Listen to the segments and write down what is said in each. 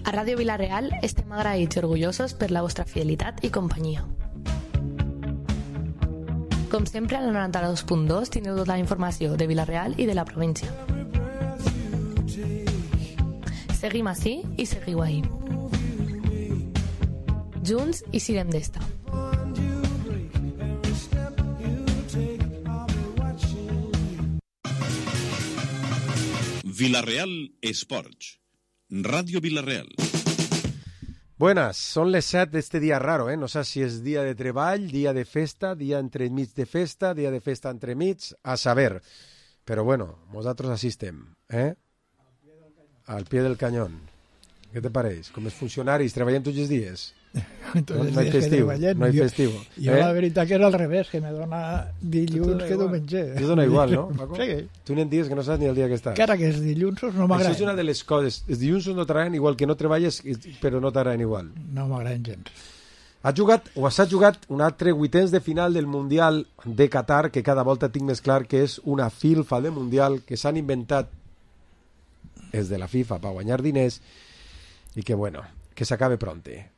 A Ràdio Vila-real estem agraïts i orgullosos per la vostra fidelitat i companyia. Com sempre, al 92.2 tindreu tota la informació de Vila-real i de la província. Seguim ací i seguiu ahí. Junts i sirem d'esta. Vila-real Esports. Radio Vila-real. Buenas, son les 7 d'este dia raro, No sé si és dia de treball, dia de festa, dia entremig de festa, dia de festa entremig, a saber. Però bueno, nosaltres així estem, Al pie del cañón. Què te pareix? Com els funcionaris, treballem tots els dies? No hay festivo. No hay festivo. Jo la veritat que era al revés, que me dona dilluns que diumenge. Te dona igual, no, Paco? Sí. Tu n'hi ha dies que no saps ni el dia que estàs. Encara que els dilluns no m'agraden. Això és una de les coses. Els dilluns no t'agraden igual que no treballes, però no t'agraden igual. No m'agraden gens. S'ha jugat un altre vuitens de final del Mundial de Qatar, que cada volta tinc més clar que és una filfa de Mundial que s'han inventat els de la FIFA per guanyar diners i que, bueno, que s'acabe pronte.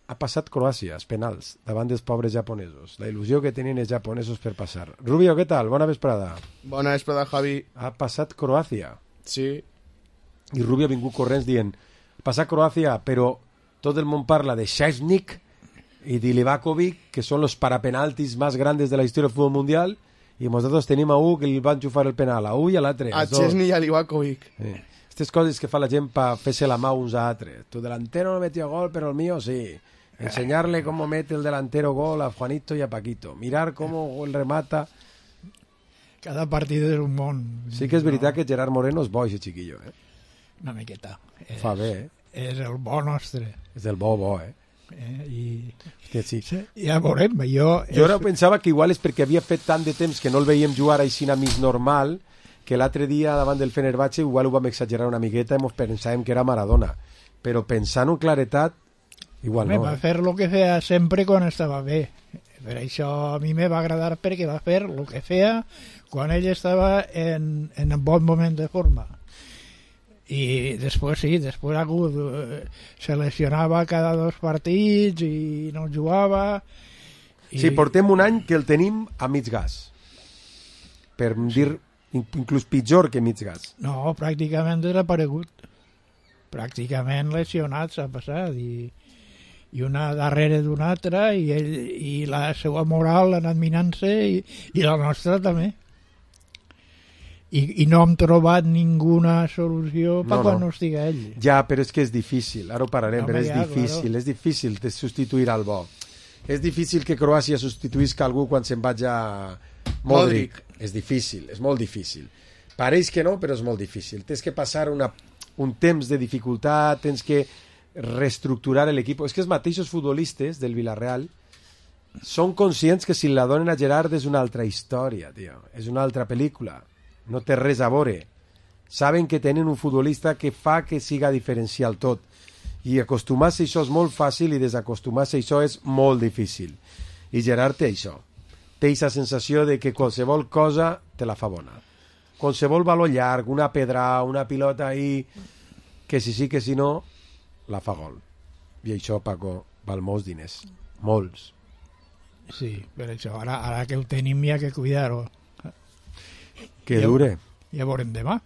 Ha passat Croàcia, els penals, davant dels pobres japonesos. La il·lusió que tenien els japonesos per passar. Rubio, què tal? Bona vesprada. Bona vesprada, Javi. Ha passat Croàcia. Sí. I Rubio ha vingut corrents dient ha passat Croàcia, però tot el món parla de Szczęsnik i de Livakovic, que són els parapenaltis més grandes de la història del futbol mundial, i nosaltres tenim a un que li va enxufar el penal, a un i a l'altre. A Szczęsnik i a Livakovic. Aquestes coses que fa la gent per fer-se la mà uns a altres. Tu delantero no metió gol, però el mío sí. Enseñarle cómo mete el delantero gol a Juanito y a Paquito. Mirar cómo el remata. Cada partido és un món. Sí que és veritat que Gerard Moreno és bo, aquest xiquillo, Una miqueta. Fa bé, És el bo nostre. És del bo, Hòstia, sí. Ja veurem. Jo ara pensava que igual és perquè havia fet tant de temps que no el veiem jugar així a mig normal, que l'altre dia davant del Fenerbahce igual ho vam exagerar una miqueta i pensàvem que era Maradona. Però pensant en claretat, igual no. Va fer el que feia sempre quan estava bé. Per això a mi me va agradar perquè va fer el que feia quan ell estava en un bon moment de forma. I després ha hagut se lesionava cada 2 partits i no jugava. Sí, portem un any que el tenim a mig gas. Per dir inclús pitjor que mig gas. No, pràcticament desaparegut. Pràcticament lesionat s'ha passat i una darrere d'una altra i la seva moral ha anat minant-se i la nostra també. I no hem trobat ninguna solució per quan no estiga ell. Ja, però és que és difícil, ara ho parlarem, però és difícil de substituir al bo. És difícil que Croàcia substituïsca algú quan se'n vaig a Modric. És difícil, és molt difícil. Pareix que no, però és molt difícil. Tens que passar un temps de dificultat, tens que reestructurar l'equip. És que els mateixos futbolistes del Villarreal són conscients que si la donen a Gerard és una altra història, tio. És una altra pel·lícula. No té res a veure. Saben que tenen un futbolista que fa que siga diferencial tot. I acostumar-se a això és molt fàcil i desacostumar-se a això és molt difícil. I Gerard té això. Té aquesta sensació de que qualsevol cosa te la fa bona. Qualsevol valor llarg, una pedra, una pilota ahí, que si sí que si no, la fa gol. I això, Paco, val molts diners. Molts. Sí, per això ara que ho tenim hi ha que cuidar-ho. Que dure. Ja veurem demà.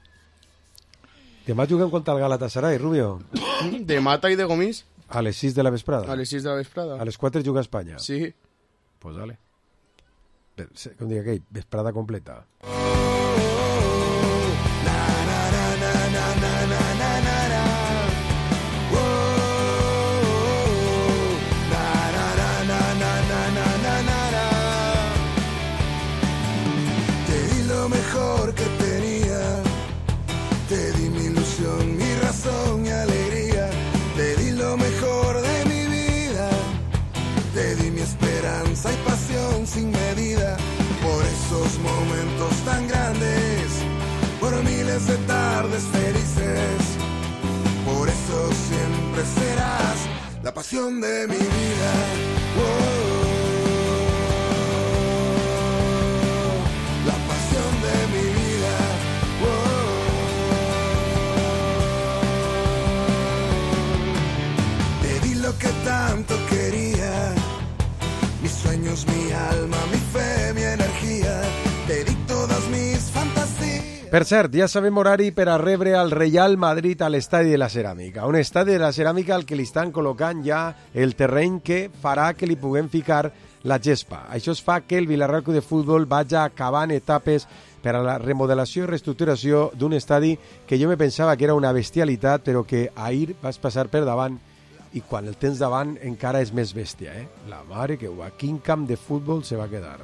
Demà juguem contra el Galatasaray, Rubio. De Mata i de Gomis. A les 6 de la vesprada. A les 6 de la vesprada. A les 4 juga a Espanya. Sí. Pues dale. Com dic aquell, vesprada completa. Hay pasión sin medida por esos momentos tan grandes, por miles de tardes felices. Por eso siempre serás la pasión de mi vida. La pasión de mi vida. Per cert, ja sabem horari per a rebre el Real Madrid a l'Estadi de la Ceràmica. Un estadi de la Ceràmica al que li estan col·locant ja el terreny que farà que li puguem ficar la gespa. Això es fa que el Villarreal Club de Futbol vagi acabant etapes per a la remodelació i reestructuració d'un estadi que jo me pensava que era una bestialitat, però que ahir vas passar per davant i quan el tens davant encara és més bèstia. La mare que ho, quin camp de futbol se va quedar.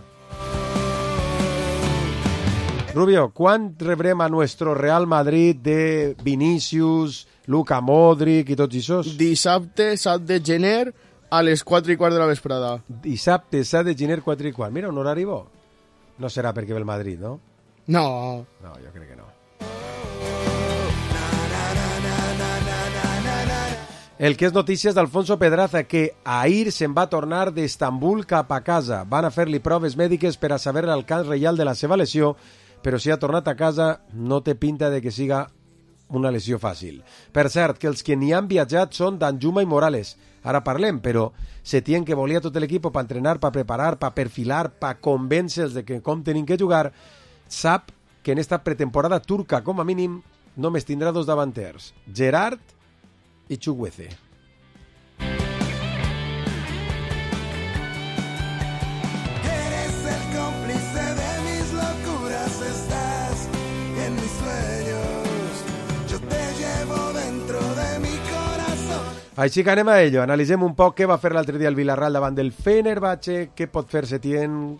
Rubio, quan rebrem a nuestro Real Madrid de Vinícius, Luka Modric i tots aquests? Dissabte, 7 de gener, a les 4:15 de la vesprada. Dissabte, 7 de gener, 4:15. Mira, un horari bo. No serà perquè ve el Madrid, no? No. No, jo crec que no. El que és notícies d'Alfonso Pedraza, que ahir se'n va tornar d'Estambul cap a casa. Van a fer-li proves mèdiques per a saber l'alcance real de la seva lesió, però si ha tornat a casa no té pinta de que siga una lesió fàcil. Per cert, que els que n'hi han viatjat són Danjuma i Morales. Ara parlem, però Setién, que volia tot l'equip per entrenar, per preparar, per perfilar, per convèncer-los de que com tenim que jugar, sap que en esta pretemporada turca, com a mínim, només tindrà dos davanters, Gerard i Chukwueze. Eres el cómplice de mis locuras, estás en mis sueños, yo te llevo dentro de mi corazón. Així que anem a ello, analitzem un poc què va fer l'altre dia el Villarreal davant del Fenerbahce, què pot fer Setién,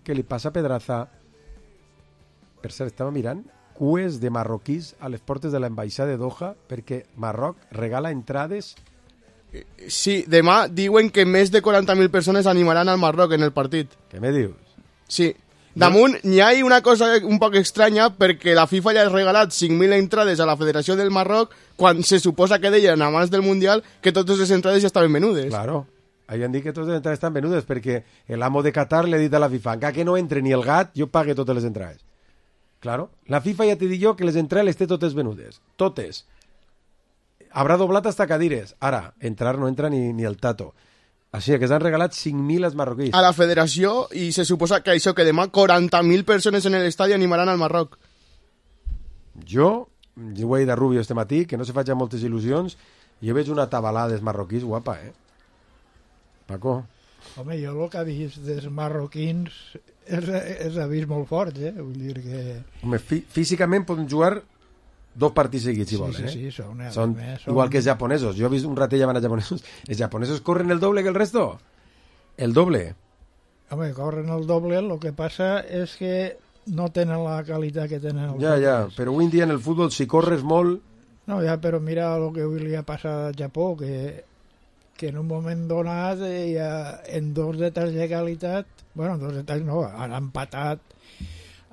què li passa a Pedraza. Per cert, estava mirant cues de marroquís a les portes de l'ambaixada de Doha perquè Marroc regala entrades. Sí, demà diuen que més de 40.000 persones animaran al Marroc en el partit. Què me dius? Sí. Damunt, n'hi ha una cosa un poc estranya perquè la FIFA ja ha regalat 5.000 entrades a la Federació del Marroc quan se suposa que deien abans del Mundial que totes les entrades ja estaven venudes. Claro. Havien dit que totes les entrades estan venudes perquè l'amo de Qatar li ha dit a la FIFA encara que no entre ni el gat, jo pague totes les entrades. Claro. La FIFA ja t'he dit jo que les entrades les té totes venudes. Totes. Habrà doblat hasta cadires. Ara, entrar no entra ni el tato. Així que s'han regalat 5.000 als marroquís. A la federació, i se suposa que això, que demà 40.000 persones en l'estadi animaran al Marroc. Jo ho he dit a Rubio este matí, que no se faig moltes il·lusions, jo veig una tabalada dels marroquís guapa, Paco? Home, jo el que he vist dels marroquins és ha vist molt fort, Vull dir que... Home, físicament poden jugar 2 partits seguits, si volen, Sí, són igual que els japonesos. Jo he vist un ratet llamant a japonesos. Els japonesos corren el doble que el resto. El doble. Home, corren el doble, el que passa és que no tenen la qualitat que tenen els Ja, però avui en dia en el futbol, si corres molt... No, però mira el que avui li ha passat al Japó, que en un moment donat en 2 detalls de qualitat, bueno, 2 detalls no, han empatat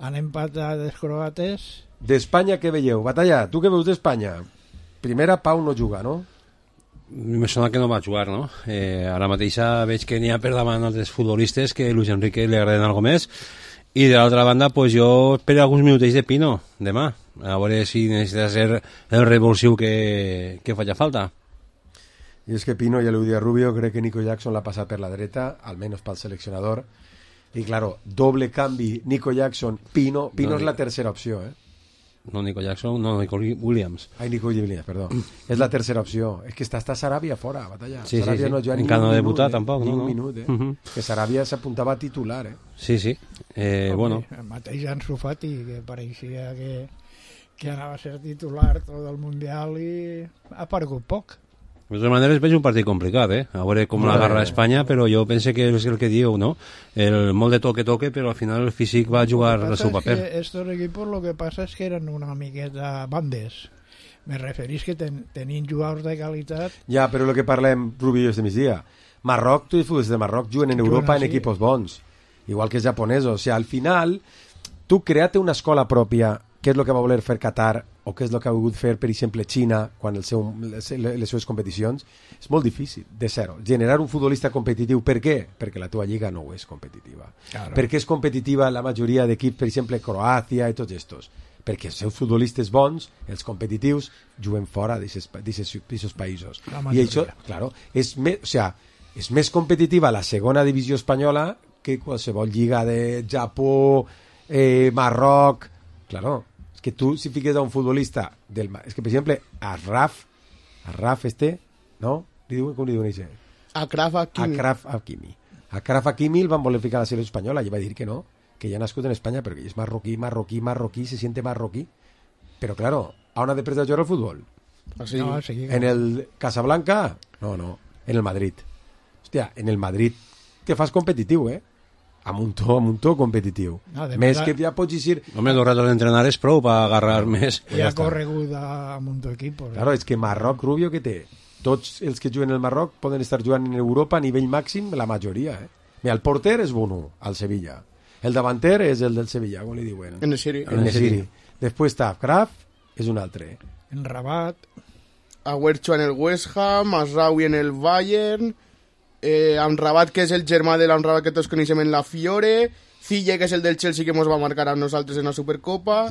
els croates. D'Espanya què veieu? Batalla, tu què veus d'Espanya? Primera, Pau no juga, no? Me sona que no va jugar, no? Ara mateix veig que n'hi ha per davant altres futbolistes que a Luis Enrique li agraden algo més, i de l'altra banda pues jo espero alguns minutets de Pino demà, a veure si necessita ser el revulsiu que faci falta. I és que Pino, ja l'ho dit a Rubio, crec que Nico Jackson l'ha passat per la dreta, almenys pel seleccionador, i claro, doble canvi, Nico Jackson, Pino és la tercera opció, No Nico Jackson, no Nico Williams. Ai, Nico Williams, perdó. És la tercera opció. És que està Sarabia fora, Batalla. Sí, Sarabia no juga encara no ha debutat tampoc, ni no? un minut, Que Sarabia s'apuntava a titular, Sí. Bueno. El mateix Ansu Fati, que pareixia que anava a ser titular tot el Mundial i ha aparegut poc. De totes maneres veig un partit complicat, a veure com l'agarra Espanya, però jo penso que és el que diu, no? El molt de toque, però al final el físic va jugar el seu paper. Estos equipos lo que pasa es que eren una miqueta bandes. Me referís que tenien jugadors de qualitat. Ja, però el que parlem, Rubio, este migdia. Marroc, tu futbolistes de Marroc juguen en Europa en equipos bons, igual que els japonesos. O sigui, al final, tu create una escola pròpia, què és el que va voler fer Qatar, o què és el que ha volgut fer, per exemple, Xina, quan les seves competicions, és molt difícil, de zero. Generar un futbolista competitiu, per què? Perquè la teva lliga no és competitiva. Claro. Per què és competitiva la majoria d'equips, per exemple, Croàcia i tots estos? Perquè els seus futbolistes bons, els competitius, juguen fora d'aquests països. I això, claro, és més competitiva la segona divisió espanyola que qualsevol lliga de Japó, Marroc... Claro, és que tu si fiques a un futbolista és que, per exemple, a Raf no? Com li diuen això? Achraf Hakimi. Achraf Hakimi el van voler ficar a la selecció espanyola i va dir que no, que ja ha nascut en Espanya perquè és marroquí, se siente marroquí. Però, claro, on ha de prestar jugar al futbol? Así. No, sí, ¿En el Casablanca? No, en el Madrid. Hòstia, en el Madrid te fas competitiu, amb un to competitiu. No, més que ja pots dir... Home, 2 ratos d'entrenar és prou per agarrar més. I ha corregut amb un equip. Claro, és que Marroc, Rubio, que té? Tots els que juguen al Marroc poden estar jugant en Europa a nivell màxim, la majoria. Mira, el porter és Bono, al Sevilla. El davanter és el del Sevilla, com li diuen? En-Nesyri. Després està Kraf, és un altre. En Rabat. Aguercho en el West Ham, Masraoui en el Bayern, Amrabat, que és el germà de l'Amrabat que tots coneixem en la Fiore, Zille, que és el del Chelsea que ens va marcar a nosaltres en la Supercopa,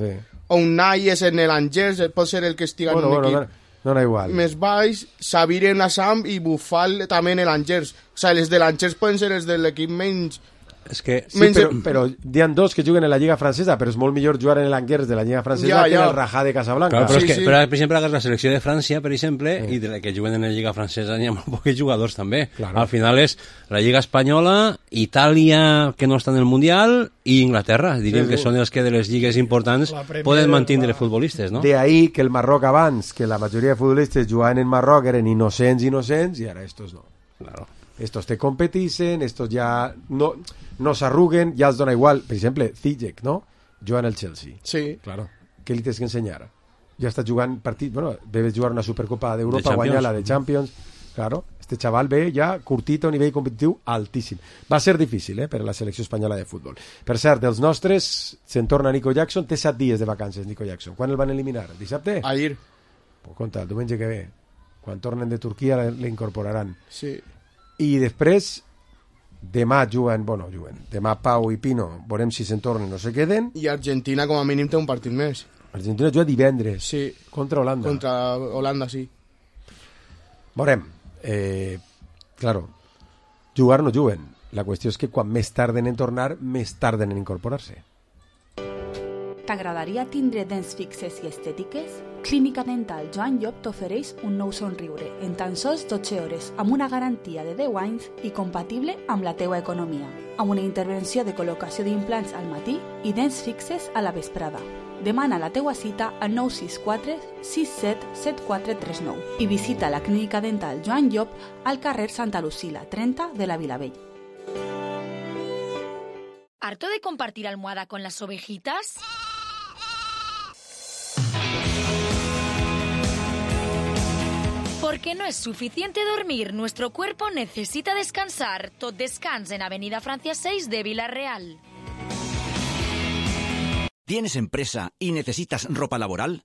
Unai és en l'Angers, pot ser el que estiga en un equip no igual. Més baix, Sabir en la Sam i Bufal també en l'Angers. O sigui, els de l'Angers poden ser els de l'equip menys... És que... Sí, però hi ha dos que juguen en la Lliga Francesa, però és molt millor jugar en l'Angers de la Lliga Francesa que en el Rajá de Casablanca. Claro, però, però, per exemple, la selecció de França, per exemple, i de la que juguen en la Lliga Francesa n'hi ha molt pocs jugadors també. Claro. Al final és la Lliga Espanyola, Itàlia, que no està en el Mundial, i Inglaterra. Diríem que són els que de les lligues importants poden mantenir futbolistes, no? De ahí que el Marroc abans, que la majoria de futbolistes jugaven en Marroc, eren innocents, i ara estos no. Claro. Estos te competeixen, estos ja no s'arruguen, ja els dona igual. Per exemple, Ziyech, no? Juga en el Chelsea. Sí. Claro. Què li tens que ensenyar? Ja està jugant partit... Bueno, debes jugar una Supercopa d'Europa, guanyar la de Champions. Claro. Este xaval ve ja curtit a un nivell competitiu altíssim. Va ser difícil, per a la selecció espanyola de futbol. Per cert, dels nostres, se'n torna Nico Jackson, té 7 dies de vacances, Nico Jackson. Quan el van eliminar? Dissabte? Ahir. Pues compte, el diumenge que ve. Quan tornen de Turquia l'incorporaran. Sí. I després demà juguen, demà Pau i Pino, veurem si se'n tornen o se queden. I Argentina com a mínim té un partit més. Argentina juga divendres. Sí. Contra Holanda. Contra Holanda, sí. Veurem. Claro, jugar no juguen. La qüestió és que quan més tarden en tornar, més tarden en incorporar-se. T'agradaria tindre dents fixes i estètiques? Clínica Dental Joan Llop t'ofereix un nou somriure en tan sols 12 hores amb una garantia de 10 anys i compatible amb la teua economia, amb una intervenció de col·locació d'implants al matí i dents fixes a la vesprada. Demana la teua cita al 964 67 7439 i visita la Clínica Dental Joan Llop al carrer Santa Lucila 30 de la Vilavella. ¿Harto de compartir almohada con las ovejitas? Porque no es suficiente dormir, nuestro cuerpo necesita descansar. Tot Descans en Avenida Francia 6 de Vila-real. ¿Tienes empresa y necesitas ropa laboral?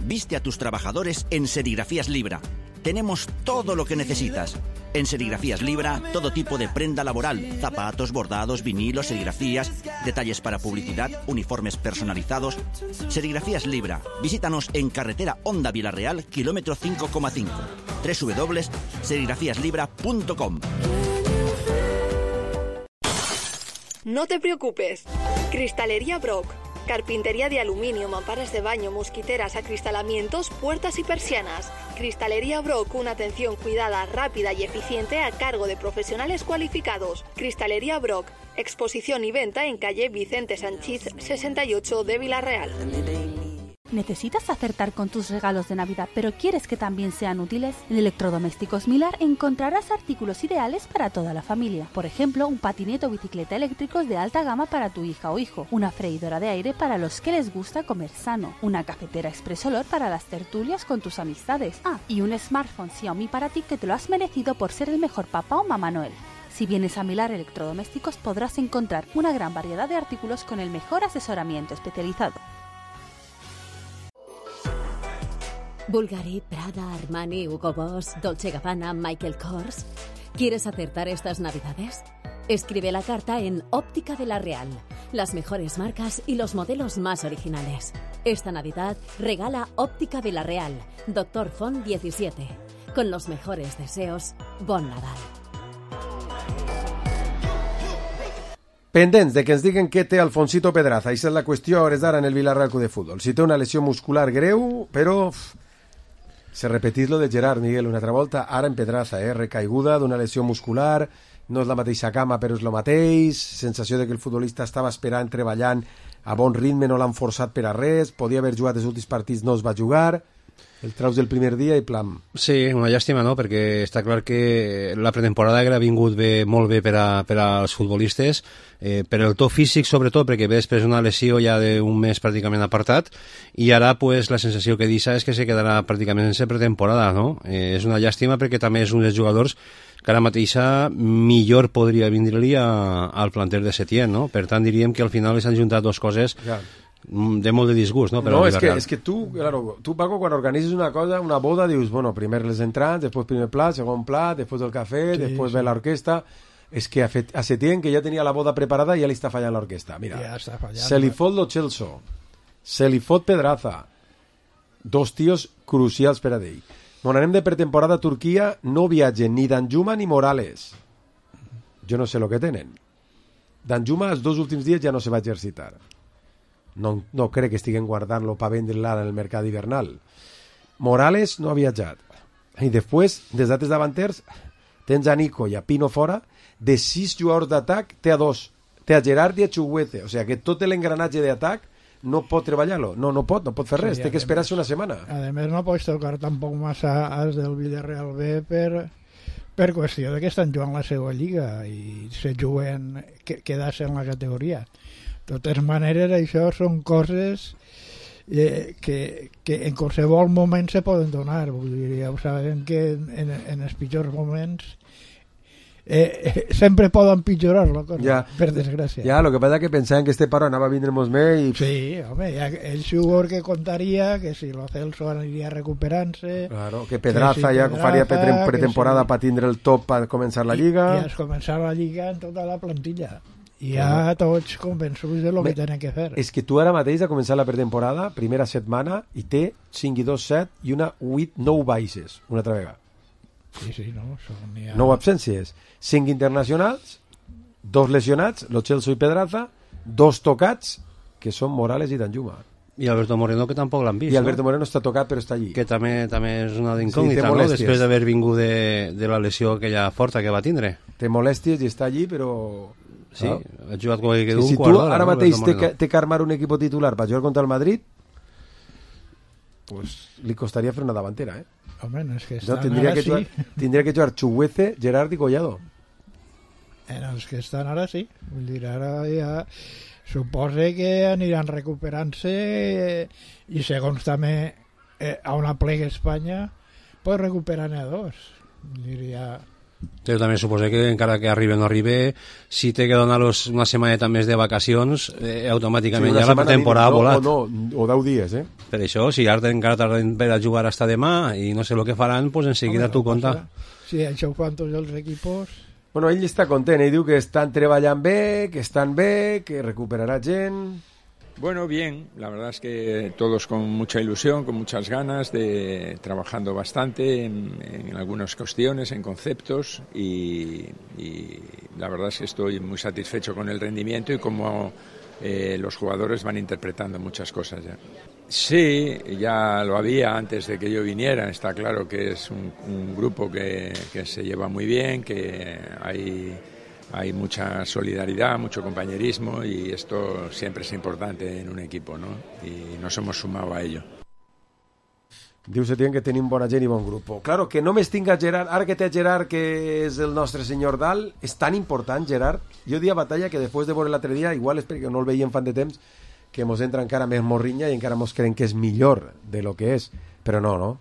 Viste a tus trabajadores en Serigrafías Libra. Tenemos todo lo que necesitas. En Serigrafías Libra, todo tipo de prenda laboral, zapatos, bordados, vinilos, serigrafías, detalles para publicidad, uniformes personalizados. Serigrafías Libra. Visítanos en carretera Honda Vila-real, kilómetro 5,5. www.serigrafíaslibra.com. No te preocupes. Cristalería Brock. Carpintería de aluminio, mamparas de baño, mosquiteras, acristalamientos, puertas y persianas. Cristalería Brock, una atención cuidada, rápida y eficiente a cargo de profesionales cualificados. Cristalería Brock, exposición y venta en calle Vicente Sanchís 68 de Vila-real. ¿Necesitas acertar con tus regalos de Navidad, pero quieres que también sean útiles? En Electrodomésticos Milar encontrarás artículos ideales para toda la familia. Por ejemplo, un patinete o bicicleta eléctricos de alta gama para tu hija o hijo, una freidora de aire para los que les gusta comer sano, una cafetera Express Olor para las tertulias con tus amistades. Y un smartphone Xiaomi para ti que te lo has merecido por ser el mejor papá o mamá Noel. Si vienes a Milar Electrodomésticos podrás encontrar una gran variedad de artículos con el mejor asesoramiento especializado. Bulgari, Prada, Armani, Hugo Boss, Dolce & Gabbana, Michael Kors. ¿Quieres acertar estas Navidades? Escribe la carta en Óptica de la Real. Las mejores marcas y los modelos más originales. Esta Navidad regala Óptica de la Real, Dr. Font 17. Con los mejores deseos, Bon Nadal. Pendents de que ens diguen què té Alfonsito Pedraza. Aquesta és la qüestió a hores d'ara en el Villarreal Club de Futbol. Si té una lesió muscular greu, però se repetís lo de Gerard, Miguel, una altra volta, ara en Pedraza, recaiguda d'una lesió muscular, no és la mateixa cama però és el mateix, sensació de que el futbolista estava esperant, treballant a bon ritme, no l'han forçat per a res, podia haver jugat els últims partits, no es va jugar, el traus del primer dia i plam. Sí, una llàstima, no?, perquè està clar que la pretemporada ha vingut molt bé per als futbolistes, per el to físic sobretot, perquè ve després una lesió ja d'un mes pràcticament apartat, i ara pues, la sensació que deixa és que se quedarà pràcticament sense pretemporada, no? És una llàstima perquè també és un dels jugadors que ara mateixa millor podria vindre-li al planter de Setién, no? Per tant diríem que al final s'han juntat dues coses de molt de disgust, no? No, és que tu, Paco, quan organitzes una cosa, una boda, dius, bueno, primer les entrants, després primer plat, segon plat, després el cafè, després ve l'orquestra. És que a Setién, que ja tenia la boda preparada, ja li està fallant l'orquestra. Mira, se li fot lo Celso, se li fot Pedraza, dos tios crucials per a ell. Quan anem de pretemporada a Turquia, no viatgen ni Danjuma ni Morales. Jo no sé el que tenen. Danjuma els 2 últims dies ja no se va exercitar. No crec que estiguen guardant-lo per vendre-lo en el mercat hivernal. Morales no ha viatjat. I després, des dates davanters, tens a Nico i a Pino fora. De 6 jugadors d'atac, té a 2. Té a Gerard i a Chuguete. O sigui que tot l'engranatge d'atac no pot treballar-lo. No pot fer res. Té que esperar-se una setmana. A més, no pots tocar tampoc massa als del Villarreal B per qüestió de que estan jugant la seva lliga i se juguen quedar-se en la categoria. De totes maneres, això són coses que en qualsevol moment se poden donar. Vull dir, ja ho sabem que en els pitjors moments sempre poden pitjorar la cosa, per desgràcia. Ja, el que passa que pensaven que este paro anava a vindre molt més i... Sí, home, el jugador que contaria que si lo Celso aniria recuperant-se... Claro, que Pedraza ja faria pretemporada per tindre el top per començar la Lliga... I es començar la Lliga en tota la plantilla. I ja tots convençuts de lo que tenen que fer. És que tu ara mateix ha començat la pretemporada, primera setmana, i té 5 i 2, 7 i una 9 baixes, una altra vegada. Sí, no, són ja... 9 absències, 5 internacionals, 2 lesionats, lo Celso i Pedraza, 2 tocats, que són Morales i Danjuma. I Alberto Moreno, que tampoc l'han vist. I Alberto Moreno està tocat, però està allí. Que també és una incògnita, no? Després d'haver vingut de la lesió aquella forta que va tindre. Té molèsties i està allí, però... Sí, ha jugat com que si tu ara mateix té que armar un equip titular per jugar contra el Madrid, pues li costaria fer una davantera, Home, no és que estan ara sí. Tindria que jugar Chuguece, Gerard i Collado. Els que estan ara sí. Vull dir, ara ja suposa que aniran recuperant-se i segons també a una plega Espanya pues recuperar-ne a 2. Vull dir, ja... Però també suposa que encara que arribi o no arribi, si té que donar-los una setmaneta més de vacacions, automàticament ja la temporada ha volat. O 10 dies, Per això, si ara encara tarden per a jugar hasta demà i no sé el que faran, pues enseguida tu compta. Sí, això ho fan tots els equipos. Bueno, ell està content, ell diu que estan treballant bé, que estan bé, que recuperarà gent... Bueno, bien, la verdad es que todos con mucha ilusión, con muchas ganas, trabajando bastante en algunas cuestiones, en conceptos y la verdad es que estoy muy satisfecho con el rendimiento y cómo los jugadores van interpretando muchas cosas ya. Sí, ya lo había antes de que yo viniera, está claro que es un grupo que se lleva muy bien, que hay mucha solidaridad, mucho compañerismo y esto siempre es importante en un equipo, ¿no? Y nos hemos sumado a ello. Diu Setién que tenim bona gent i bon grup. Claro, que només tinga Gerard, ara que té Gerard, que és el nostre senyor dalt, és tan important, Gerard. Jo dia batalla que després de veure l'altre dia, igual és perquè no el veiem fan de temps, que mos entra encara més morrinya i encara mos creiem que és millor de lo que és. Però no.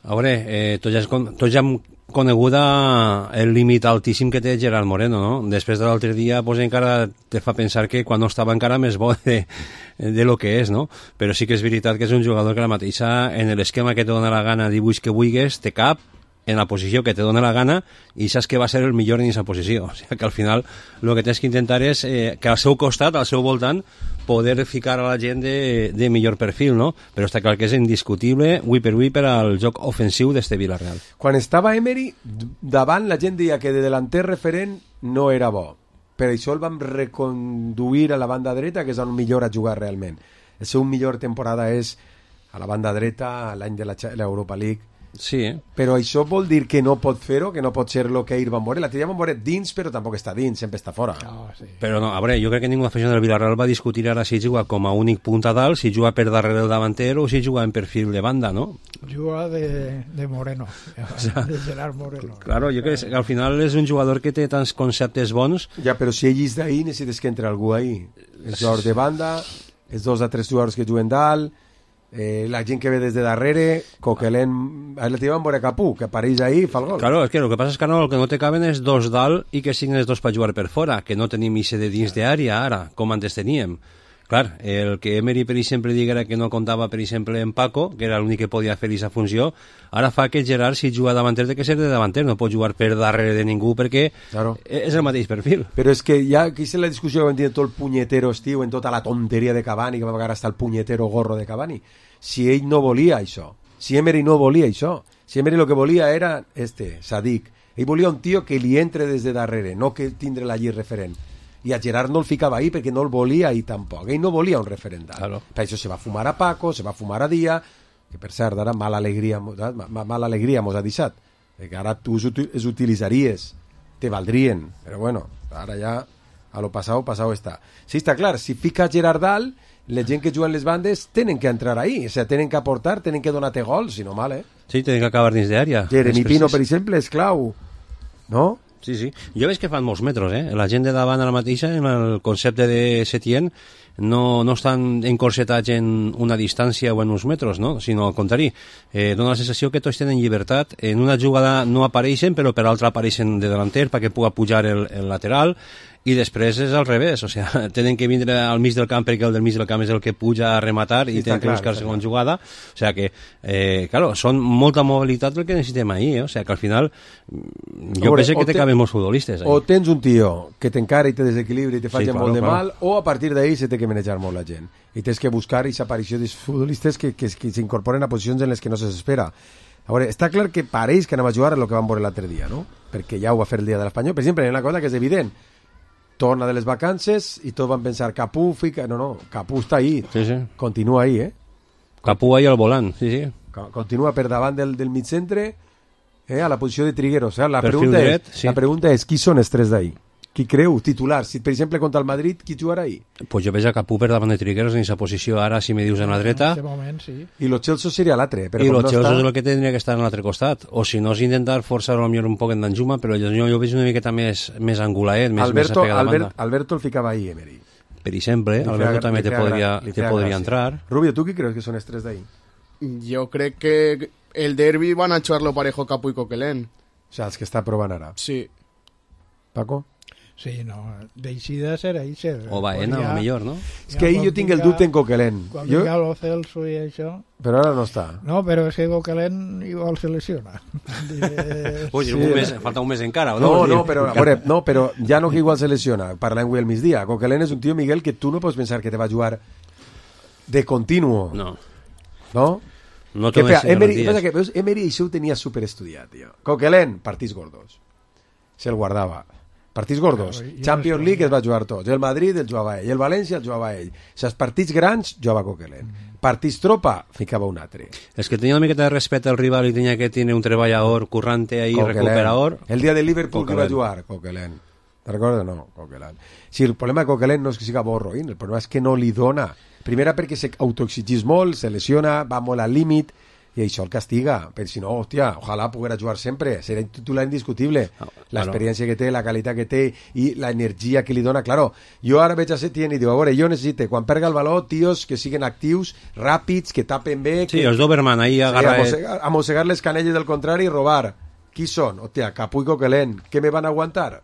A veure, tots ja hem coneguda el límit altíssim que té Gerard Moreno, no? Després de l'altre dia pues, encara te fa pensar que quan no estava encara més bo de lo que és, no? Però sí que és veritat que és un jugador que la mateixa en l'esquema que te dona la gana dibuix que vulguis, te cap en la posició que te dona la gana i saps que va ser el millor en aquesta posició. O sigui que al final el que tens que intentar és que al seu costat, al seu voltant, poder ficar a la gent de millor perfil, no? Però està clar que és indiscutible, avui per al joc ofensiu d'este Villarreal. Quan estava Emery, davant la gent deia que de delanter referent no era bo. per això el vam reconduir a la banda dreta, que és on millor a jugar realment. El seu millor temporada és a la banda dreta, l'any de l'Europa League. Sí, Però això vol dir que no pot fer-ho, que no pot ser el que ahir van veure. L'altre dia van veure dins, però tampoc està dins, sempre està fora. Però no, a veure, jo crec que ningú aficionat del Villarreal va discutir ara si juga com a únic punt a dalt, si juga per darrere del davanter o si juga en perfil de banda, no? Juga de Moreno, de Gerard Moreno. Claro, jo crec que al final és un jugador que té tants conceptes bons. Ja, però si ell és d'ahir, necessites que entre algú ahir. Els jugadors de banda, els 2 a 3 jugadors que juguen dalt, la gent que ve des de darrere, Coquelin, el tio van veure Capú, que apareix ahí i fa el gol. Claro, és que el que passa és que no, el que no te caben és 2 dalt i que siguin els 2 per jugar per fora, que no tenim ixe de dins d'àrea ara, com antes teníem. Clar, el que Emery, per exemple, diguera que no comptava, per exemple, en Paco, que era l'únic que podia fer aquesta funció, ara fa que Gerard, si juga davanter, té que ser de davanter, no pot jugar per darrere de ningú, perquè és el mateix perfil. Però és que ja, aquí és la discussió que vam tenir tot el punyetero estiu, en tota la tonteria de Cavani, que va pagar hasta el punyetero gorro de Cavani. Si ell no volia això, si Emery no volia això, si Emery el que volia era Sadik, ell volia un tio que li entre des de darrere, no que tindre la lliure referent. I a Gerard no el ficava ahí perquè no el volia ahí tampoc. Ell no volia un referent. Claro. Per això se va fumar a Paco, se va fumar a Díaz, que per cert ara mala alegria mos ha deixat. Que ara tu els utilitzaries, te valdrien, però bueno, ara ja a lo pasado està. Sí, està clar, si fica Gerard dalt, la gent que juguen les bandes tenen que entrar ahí, o sea, tenen que aportar, tenen que donar-te gols, si no mal, Sí, tenen que acabar dins d'àrea. Jeremy Pino, per exemple, és clau, no? Sí, sí. Jo veig que fan molts metres, La gent de davant ara mateixa, en el concepte de Setién, no estan encorsetats en una distància o en uns metres, no? Sinó al contrari. Dóna la sensació que tots tenen llibertat. En una jugada no apareixen, però per l'altra apareixen de delanter perquè puga pujar el lateral, i després és al revés, o sea, tenen que vindre al mig del camp perquè el del mig del camp és el que puja a rematar i tenen que buscar segona jugada, o sea que claro, són molta mobilitat el que necessitem ahir, o sea que al final jo penso que te caben molts futbolistes ahí. O tens un tio que t'encara i te desequilibra i te faci molt de mal, o a partir d'ahir se té que manejar molt la gent i tens que buscar aquesta aparició dels futbolistes que s'incorporen a posicions en les que no s'espera. A veure, està clar que pareix que anem a jugar el que vam veure l'altre dia, no? Perquè ja ho va fer el dia de l'Espanyol. Per exemple, hi ha una cosa que és evident, torna de les vacances i tots van pensar Capú fica... No, Capú està ahí, continua ahí, Capú ahí al volant, sí. Continua per davant del mig centre, a la posició de Trigueros. La pregunta és qui són els 3 d'ahí? Qui creu? Titular. Si, per exemple, contra el Madrid, qui jugarà ahí? Pues jo veig a Capú per davant de Trigueros en aquesta posició ara, si me dius en la dreta. En aquest moment, sí. I lo Chelsea seria l'altre. I lo Chelsea és el que tindria que estar en l'altre costat. O si no, és intentar forçar potser un poc en Danjuma, però jo veig una miqueta més angulaet, més apegat a banda. Alberto el ficava ahí, Emery. Per exemple, Alberto també te podria entrar. Rubio, ¿tú qué crees que son els 3 d'ahí? Jo crec que el derbi van a echarlo parejo Capú i Coquelin. O sea, els que està provant ara. Sí. Paco? Sí, no, d'eixida serà Eixa. O Baena, o millor, no? És que ahir jo tinc el dubte en Coquelin. Quan vinga lo Celso i això... Però ara no està. No, però és que Coquelin igual se lesiona. Falta un mes encara, no? No, però ja no que igual se lesiona. Parlant avui al migdia. Coquelin és un tio, Miguel, que tu no pots pensar que te va jugar de continuo. No? No que fea, Emery això ho tenia superestudiat, tio. Coquelin, partits gordos. Se'l guardava. Partits gordos. Champions League es va jugar tots. El Madrid el jugava ell. El València el jugava ell. Els partits grans jugava Coquelin. Partits tropa, ficava un altre. És que tenia una miqueta de respecte al rival i tenia que tenir un treballador currante ahí, recuperador. El dia de Liverpool que va jugar, Coquelin. Te'n recordes? No, Coquelin. Si el problema de Coquelin no és que siga borroïn, el problema és que no li dona. Primera perquè s'autoexigís molt, se lesiona, va molt al límit, i això el castiga, però si no, hòstia, ojalà poguera jugar sempre, serà titular indiscutible, l'experiència que té, la qualitat que té i l'energia que li dona, claro, jo ara veig a Setién i diu, a veure, jo necessito, quan perga el valor, tios que siguen actius, ràpids, que tapen bé, sí, els Doberman ahí agarra... a mossegar les canelles del contrari i robar. Qui són? Hòstia, Capú i Coquelin, què me van aguantar?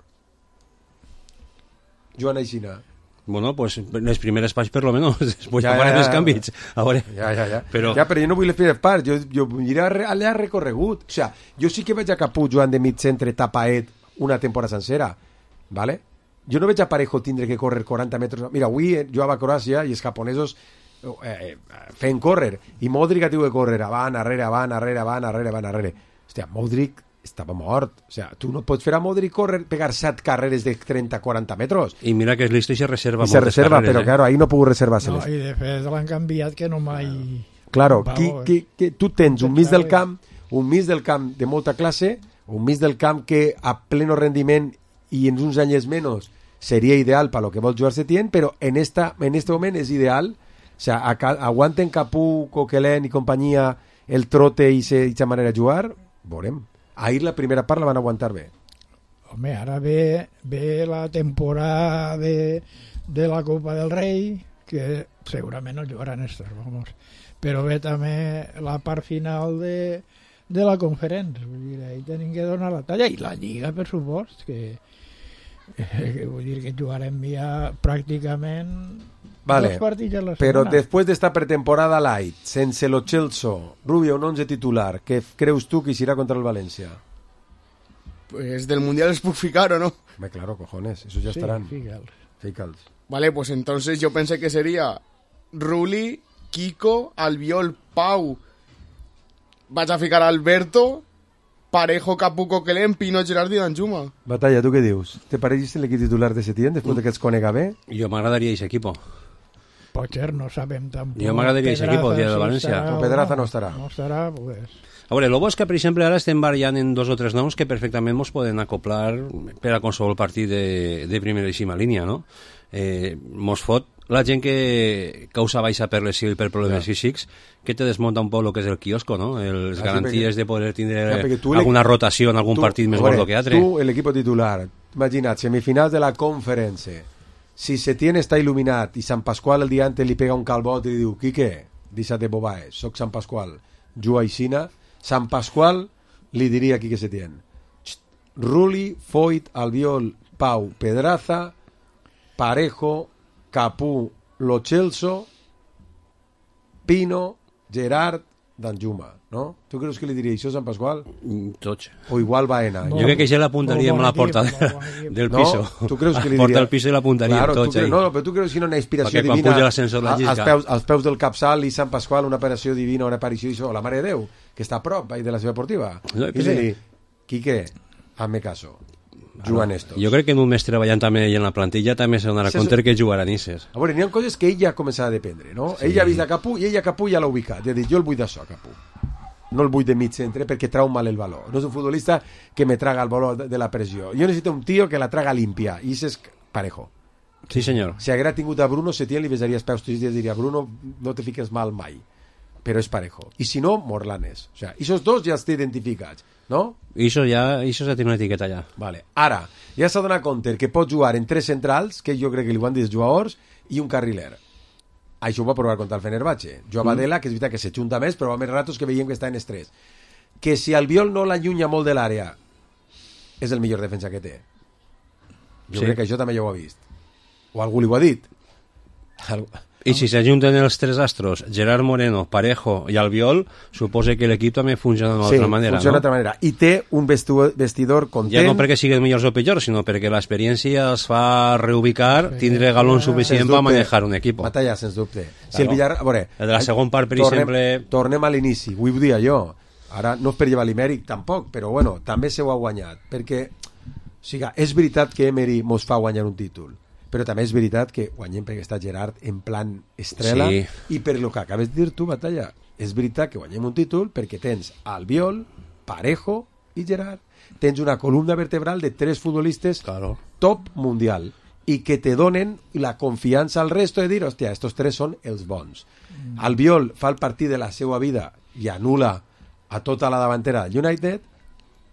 Joan Aixina. Bueno, pues les primeres parts per lo menos, després ja farem els canvis. A veure. Ja. Però jo no vull les primeres parts, jo aniré allà recorregut. O sea, jo sí que veig a Capú jugant de mig centre tapaet una temporada sencera, ¿vale? Jo no veig a Parejo tindre que córrer 40 metres. Mira, avui jugava a Croàcia i els japonesos fent córrer, i Modric ha tingut que córrer avant, arrere. Hòstia, Modric estava mort. O sea, tu no pots fer a Modric pegar 7 carreres de 30-40 metres. I mira que és listo i se reserva moltes carreres. Però claro, ahí no puc reservar-se-les. No, i de fet l'han canviat que no mai... Claro, tu tens un mig del camp de molta classe, un mig del camp que a pleno rendiment i en uns anys menys seria ideal per lo que vol jugar Setién, però en este moment és ideal. O sea, aguanten Capú, Coquelin i companyia el trote i aquesta manera de jugar, veurem. Ahir la primera part la van aguantar bé. Home, ara ve la temporada de la Copa del Rei, que segurament no jugaran estos, vamos. Però ve també la part final de la conferència. Vull dir, ahí tenim que donar la talla. I la Lliga, per supost, que vull dir que jugarem ja pràcticament dos partits a la setmana. Però després d'esta pretemporada light, sense lo Celso, Rubio, un 11 titular, què creus tu que irà contra el València? Pues del Mundial es puc ficar, ¿o no? Hombre, claro, cojones, esos ya estarán. Fíjals. Vale, pues entonces yo pensé que sería Ruli, Kiko, Albiol, Pau. Vaig a ficar Alberto, Parejo, Capú, Coquelin, Pino, Gerard i Danjuma. Batalla, tu què dius? Te pareix l'equip titular de Setién després de que els conega bé? Jo m'agradaria aquest equip. Potser no sabem tampoc. Jo m'agradaria aquest equip el dia de València. Pedraza no estarà. No estarà, pues... A veure, el bo és que, per exemple, ara estem variant en 2 o 3 noms que perfectament ens poden acoplar per a qualsevol partit de primeríssima línia, no? Mos fot la gent que causa baixa per lesió i per problemes físics, que te desmunta un poc el que és el quiosco, no? Les garanties de poder tindre alguna rotació en algun partit més gordo que altre. Tu, l'equip titular, imagina't, semifinals de la conferència, si Setién està il·luminat i Sant Pasqual el dia antes li pega un calbot i li diu, Quique, deixa't de bobaes, soc Sant Pasqual, juga aixina, Sant Pasqual li diria a Quique Setién, Ruli, Foyt, Albiol, Pau, Pedraza, Parejo, Capú, Lo Celso, Pino, Gerard, Danjuma, no? Tu creus que li diria això a Sant Pasqual? Tots. O igual Baena. Jo crec que ja l'apuntaria amb la porta del piso. Tu creus que li diria? Porta del piso i l'apuntaria tots. No, però tu creus que no una inspiració divina als peus del capçal i Sant Pasqual, una aparició divina, una aparició d'això, la Mare de Déu, que està a prop de la seva esportiva. I li dir, Quique, hazme caso. Jugant esto. Jo crec que en un mes treballant també en la plantilla també se donarà compte que jugaran Isses. A veure, n'hi ha coses que ell ja començarà a dependre, no? Sí. Ell ja ha vist a Capú i ell a Capú ja l'ha ubicat. Ja ha dit, jo el vull d'això, Capú. No el vull de mig centre perquè trau mal el valor. No és un futbolista que me traga el valor de la pressió. Jo necessito un tio que la traga limpia. I és Parejo. Sí, senyor. Si haguera tingut a Bruno, Setién li besaria els peus tots els dies i diria, Bruno, no te fiques mal mai. Però és Parejo. I si no, Morlanes. O sea, esos dos ja estan identificats, no? Això ja té una etiqueta ja. Vale. Ara, ja s'ha donat compte que pot jugar en 3 centrals, que jo crec que li van dir els jugadors, i un carriler. Això ho va provar contra el Fenerbahce. Joan Badela, que és veritat que se junta més, però va més ratos que veiem que està en estrès. Que si Albiol no l'allunya molt de l'àrea, és el millor defensa que té. Jo crec que això també ja ho ha vist. O algú li ho ha dit. I si s'ajunten els 3 astros, Gerard Moreno, Parejo i Albiol, suposa que l'equip també funciona d'una altra manera, no? Sí, funciona d'altra manera. I té un vestidor content. Ja no perquè siguin millors o pitjors, sinó perquè l'experiència els fa reubicar, tindre galons suficient per manejar un equip. Batalla, sens dubte. Si el Villar... El de la segona part, per exemple... Tornem a l'inici, ho dia jo. Ara no és per llevar l'Imèric, tampoc, però bueno, també se ho ha guanyat. Perquè, o sigui, és veritat que Emery mos fa guanyar un títol, però també és veritat que guanyem perquè està Gerard en plan estrela, i per lo que acabes de dir tu, Batalla, és veritat que guanyem un títol perquè tens Albiol, Parejo i Gerard. Tens una columna vertebral de 3 futbolistes top mundial i que te donen la confiança al resto de dir, hòstia, estos 3 són els bons. Albiol fa el partit de la seva vida i anula a tota la davantera del United.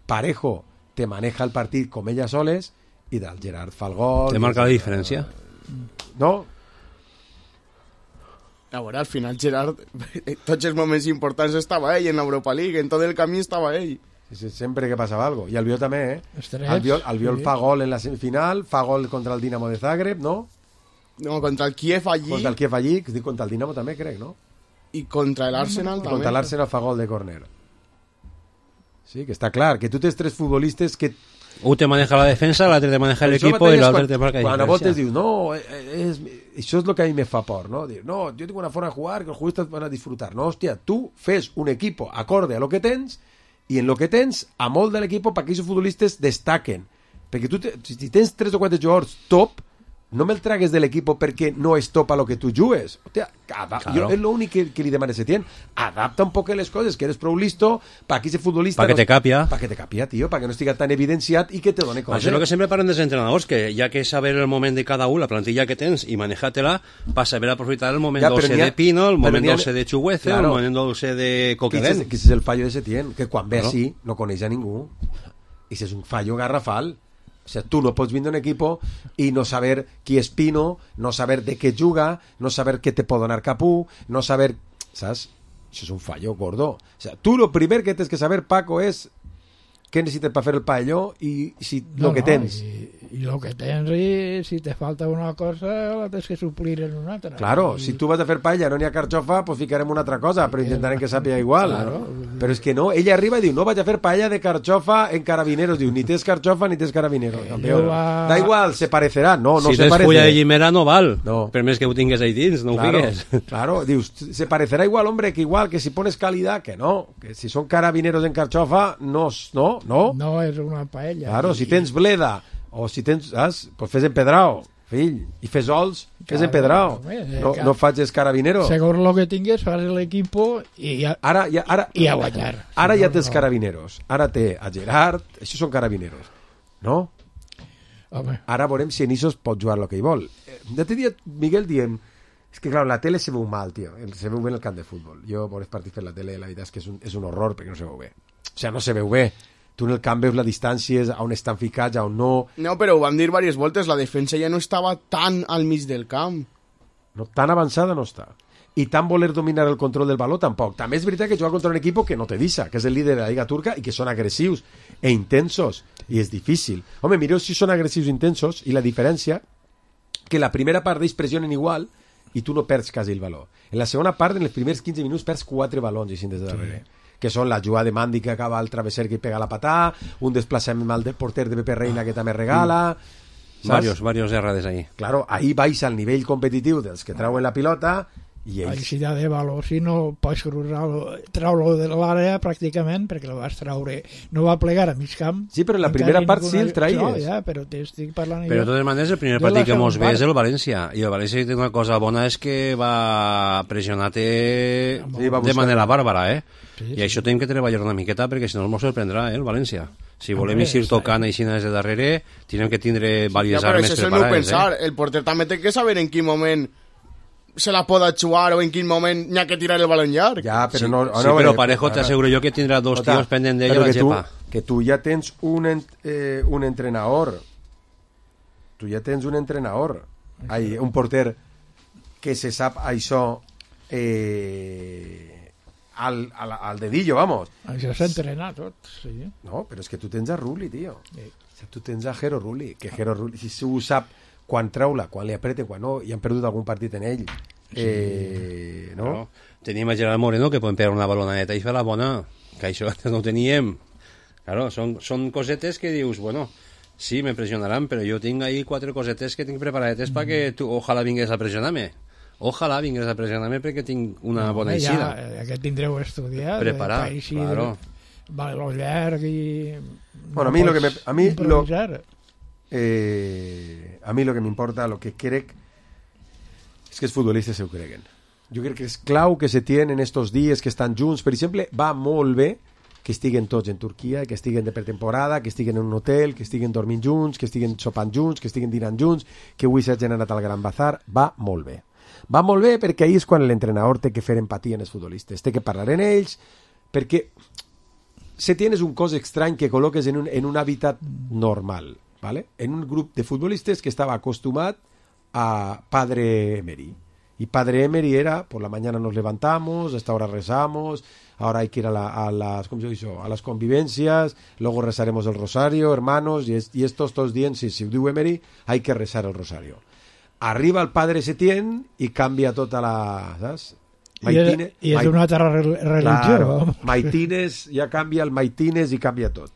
Parejo te maneja el partit com ella soles, i del Gerard fa el gol. Te marca la diferència? No? A veure, al final Gerard, tots els moments importants estava ell en l'Europa League, en tot el camí estava ell. Sempre que passava algo. I Albiol també, Albiol fa gol en la semifinal, fa gol contra el Dinamo de Zagreb, no? No, contra el Kiev allí. Contra el Kiev allí, contra el Dinamo també, crec, no? I contra l'Arsenal també. Contra l'Arsenal fa gol de córner. Sí, que està clar, que tu tens 3 futbolistes que... Un te maneja la defensa, l'altre te maneja l'equip i l'altre te marca diferència. Quan a voltes dius, no, això és el que a mi me fa por, no? Dir, no, jo tinc una forma de jugar que els jugadors van a disfrutar. No, hòstia, tu fes un equip acorde a lo que tens i en el que tens, a molt de l'equip, perquè aquests futbolistes destaquen. Perquè tu, si tens 3 o 4 jugadors top, no me'l tragues de l'equip perquè no és top a lo que tu jugues. Hòstia, jo és l'únic que li demano a Setién. Adapta un poc les coses, que eres prou listo para que ese futbolista... Para que te capia. Para que te capia, tío, para que no estigui tan evidenciat i que te done coses. Això és el que sempre parlen dels entrenadors, que hi ha que saber el moment de cada un, la plantilla que tens, i manejar-te-la per saber aprofitar el moment dolce de Pino, el moment dolce de Chuguece, el moment dolce de Coquelin. Que és el fallo de Setién, que quan ve així no coneix a ningú. I és un fallo garrafal. O sea, tú no pots vindre un equipo y no saber qui és Pino, no saber de què juga, no saber què te pot donar Capú, no saber... ¿Sabes? Això és un fallo gordo. O sea, tú lo primer que tens que saber, Paco, és què necessites per fer el palló i si lo que tens. I lo que tens, i si te falta una cosa, la tens que suplir en una altra. Claro, si tu vas a fer paella, no n'hi ha carxofa, pues ficarem una altra cosa, però intentarem que sàpiga igual. Claro. Però és que no, ella arriba i diu, no vaig a fer paella de carxofa en carabineros. Diu, ni tens carxofa ni tens carabineros. Da igual, se parecerà. No, no si se parece. Si tens fulla de llimera no val, per més que ho tingues ahí dins, no ho fiques. Claro, dius, se parecerà igual, hombre, que igual, que si pones calidad, que no, que si són carabineros en carxofa, no. No és una paella. Claro, si tens bleda, o si tens, pues fes empedrao, fill, i fes ols, fes empedrao. No facis carabineros. Segons lo que tingues, fas l'equip i a guanyar. Ara ja tens carabineros. Ara té a Gerard, això són carabineros. No? Home. Ara veurem si Enisos pot jugar el que hi vol. L'altre dia, Miguel, diem... És que, clar, la tele se veu mal, tio. Se veu bé en el camp de futbol. Jo, veure partits per la tele, la veritat és que és un horror perquè no se veu bé. O sea, no se veu bé. Tu en el camp veus la distància, on estan ficats, on no... No, però ho vam dir diverses voltes, la defensa ja no estava tan al mig del camp. No, tan avançada no està. I tan voler dominar el control del baló tampoc. També és veritat que jugar contra un equip que no te deixa, que és el líder de la Lliga Turca i que són agressius e intensos, i és difícil. Home, mireu si són agressius i intensos, i la diferència que la primera part d'ells pressionen igual i tu no perds quasi el baló. En la segona part, en els primers 15 minuts, perds 4 balons i des de darrere. Sí. Que són la jugada de Mandi que acaba al travesser que pega la patà, un desplaçament mal del porter de Pepe Reina que també regala... Varios errades ahí. Claro, ahí vais al nivell competitiu dels que trauen la pilota i ells... Si hi ha de valor, si no pots treure-lo de l'àrea pràcticament, perquè lo vas treure, no va plegar a mig camp. Sí, però en la primera part sí el traies. No, ja, però t'estic parlant... Però de totes maneres el primer partit que mos ve és el València, i el València té una cosa bona, és que va pressionar-te de manera bàrbara, Sí. I això tenim que treballar una miqueta perquè si no ens sorprendrà, el València. Si volem ir tocant així des de darrere, tenim que tindre diverses armes preparades. Ja, però això és el meu pensar. El porter també té que saber en quin moment se la pot jugar o en quin moment n'hi ha que tirar el balón llarg. Ja, però sí, però Parejo t'asseguro jo que tindrà dos tios pendent d'ell a la gepa. Que tu ja tens un entrenador. Tu ja tens un entrenador. Un porter que se sap això al dedillo, vamos. Això s'entrena tot, sí. No, però és que tu tens a Rulli, tio. Sí. O sea, tu tens a Jero Rulli, que Jero Rulli, si ho sap quan treula, quan li apreta, quan no, i han perdut algun partit en ell. No? Tenim a Gerard Moreno, que poden pegar una baloneta i fer la bona, que això antes no ho teníem. Claro, són cosetes que dius, bueno, sí, me pressionaran, però jo tinc ahí 4 cosetes que tinc preparadetes perquè tu, ojalà vingués a pressionar-me. Ojalà vingués a pressionar-me perquè tinc una bona eixida. Ja que tindreu estudiat. Preparar, claro. Baló llarg i... Bueno, a mi lo que m'importa, lo que crec és que els futbolistes ho creguen. Jo crec que és clau que se tienen estos dies que estan junts. Per exemple, va molt bé que estiguen tots en Turquia, que estiguen de pretemporada, que estiguen en un hotel, que estiguen dormint junts, que estiguen sopant junts, que estiguen dinant junts, que avui s'hagin anat al Gran Bazar. Va molt bé. Va molt bé perquè ahir és quan l'entrenador té que fer empatia en els futbolistes, té que parlar en ells, perquè Setién és un cos estrany que col·loques en un hàbitat normal, ¿vale? En un grup de futbolistes que estava acostumat a Padre Emery. Y Padre Emery era, por la mañana nos levantamos, a esta hora rezamos, ahora hay que ir a las convivencias, luego rezaremos el rosario, hermanos, y estos todos días, si diu Emery, hay que rezar el rosario. Arriba el Padre Setién i canvia tota la... Saps? I és una altra religió. Claro, Maitines, ja canvia el Maitines i canvia tot.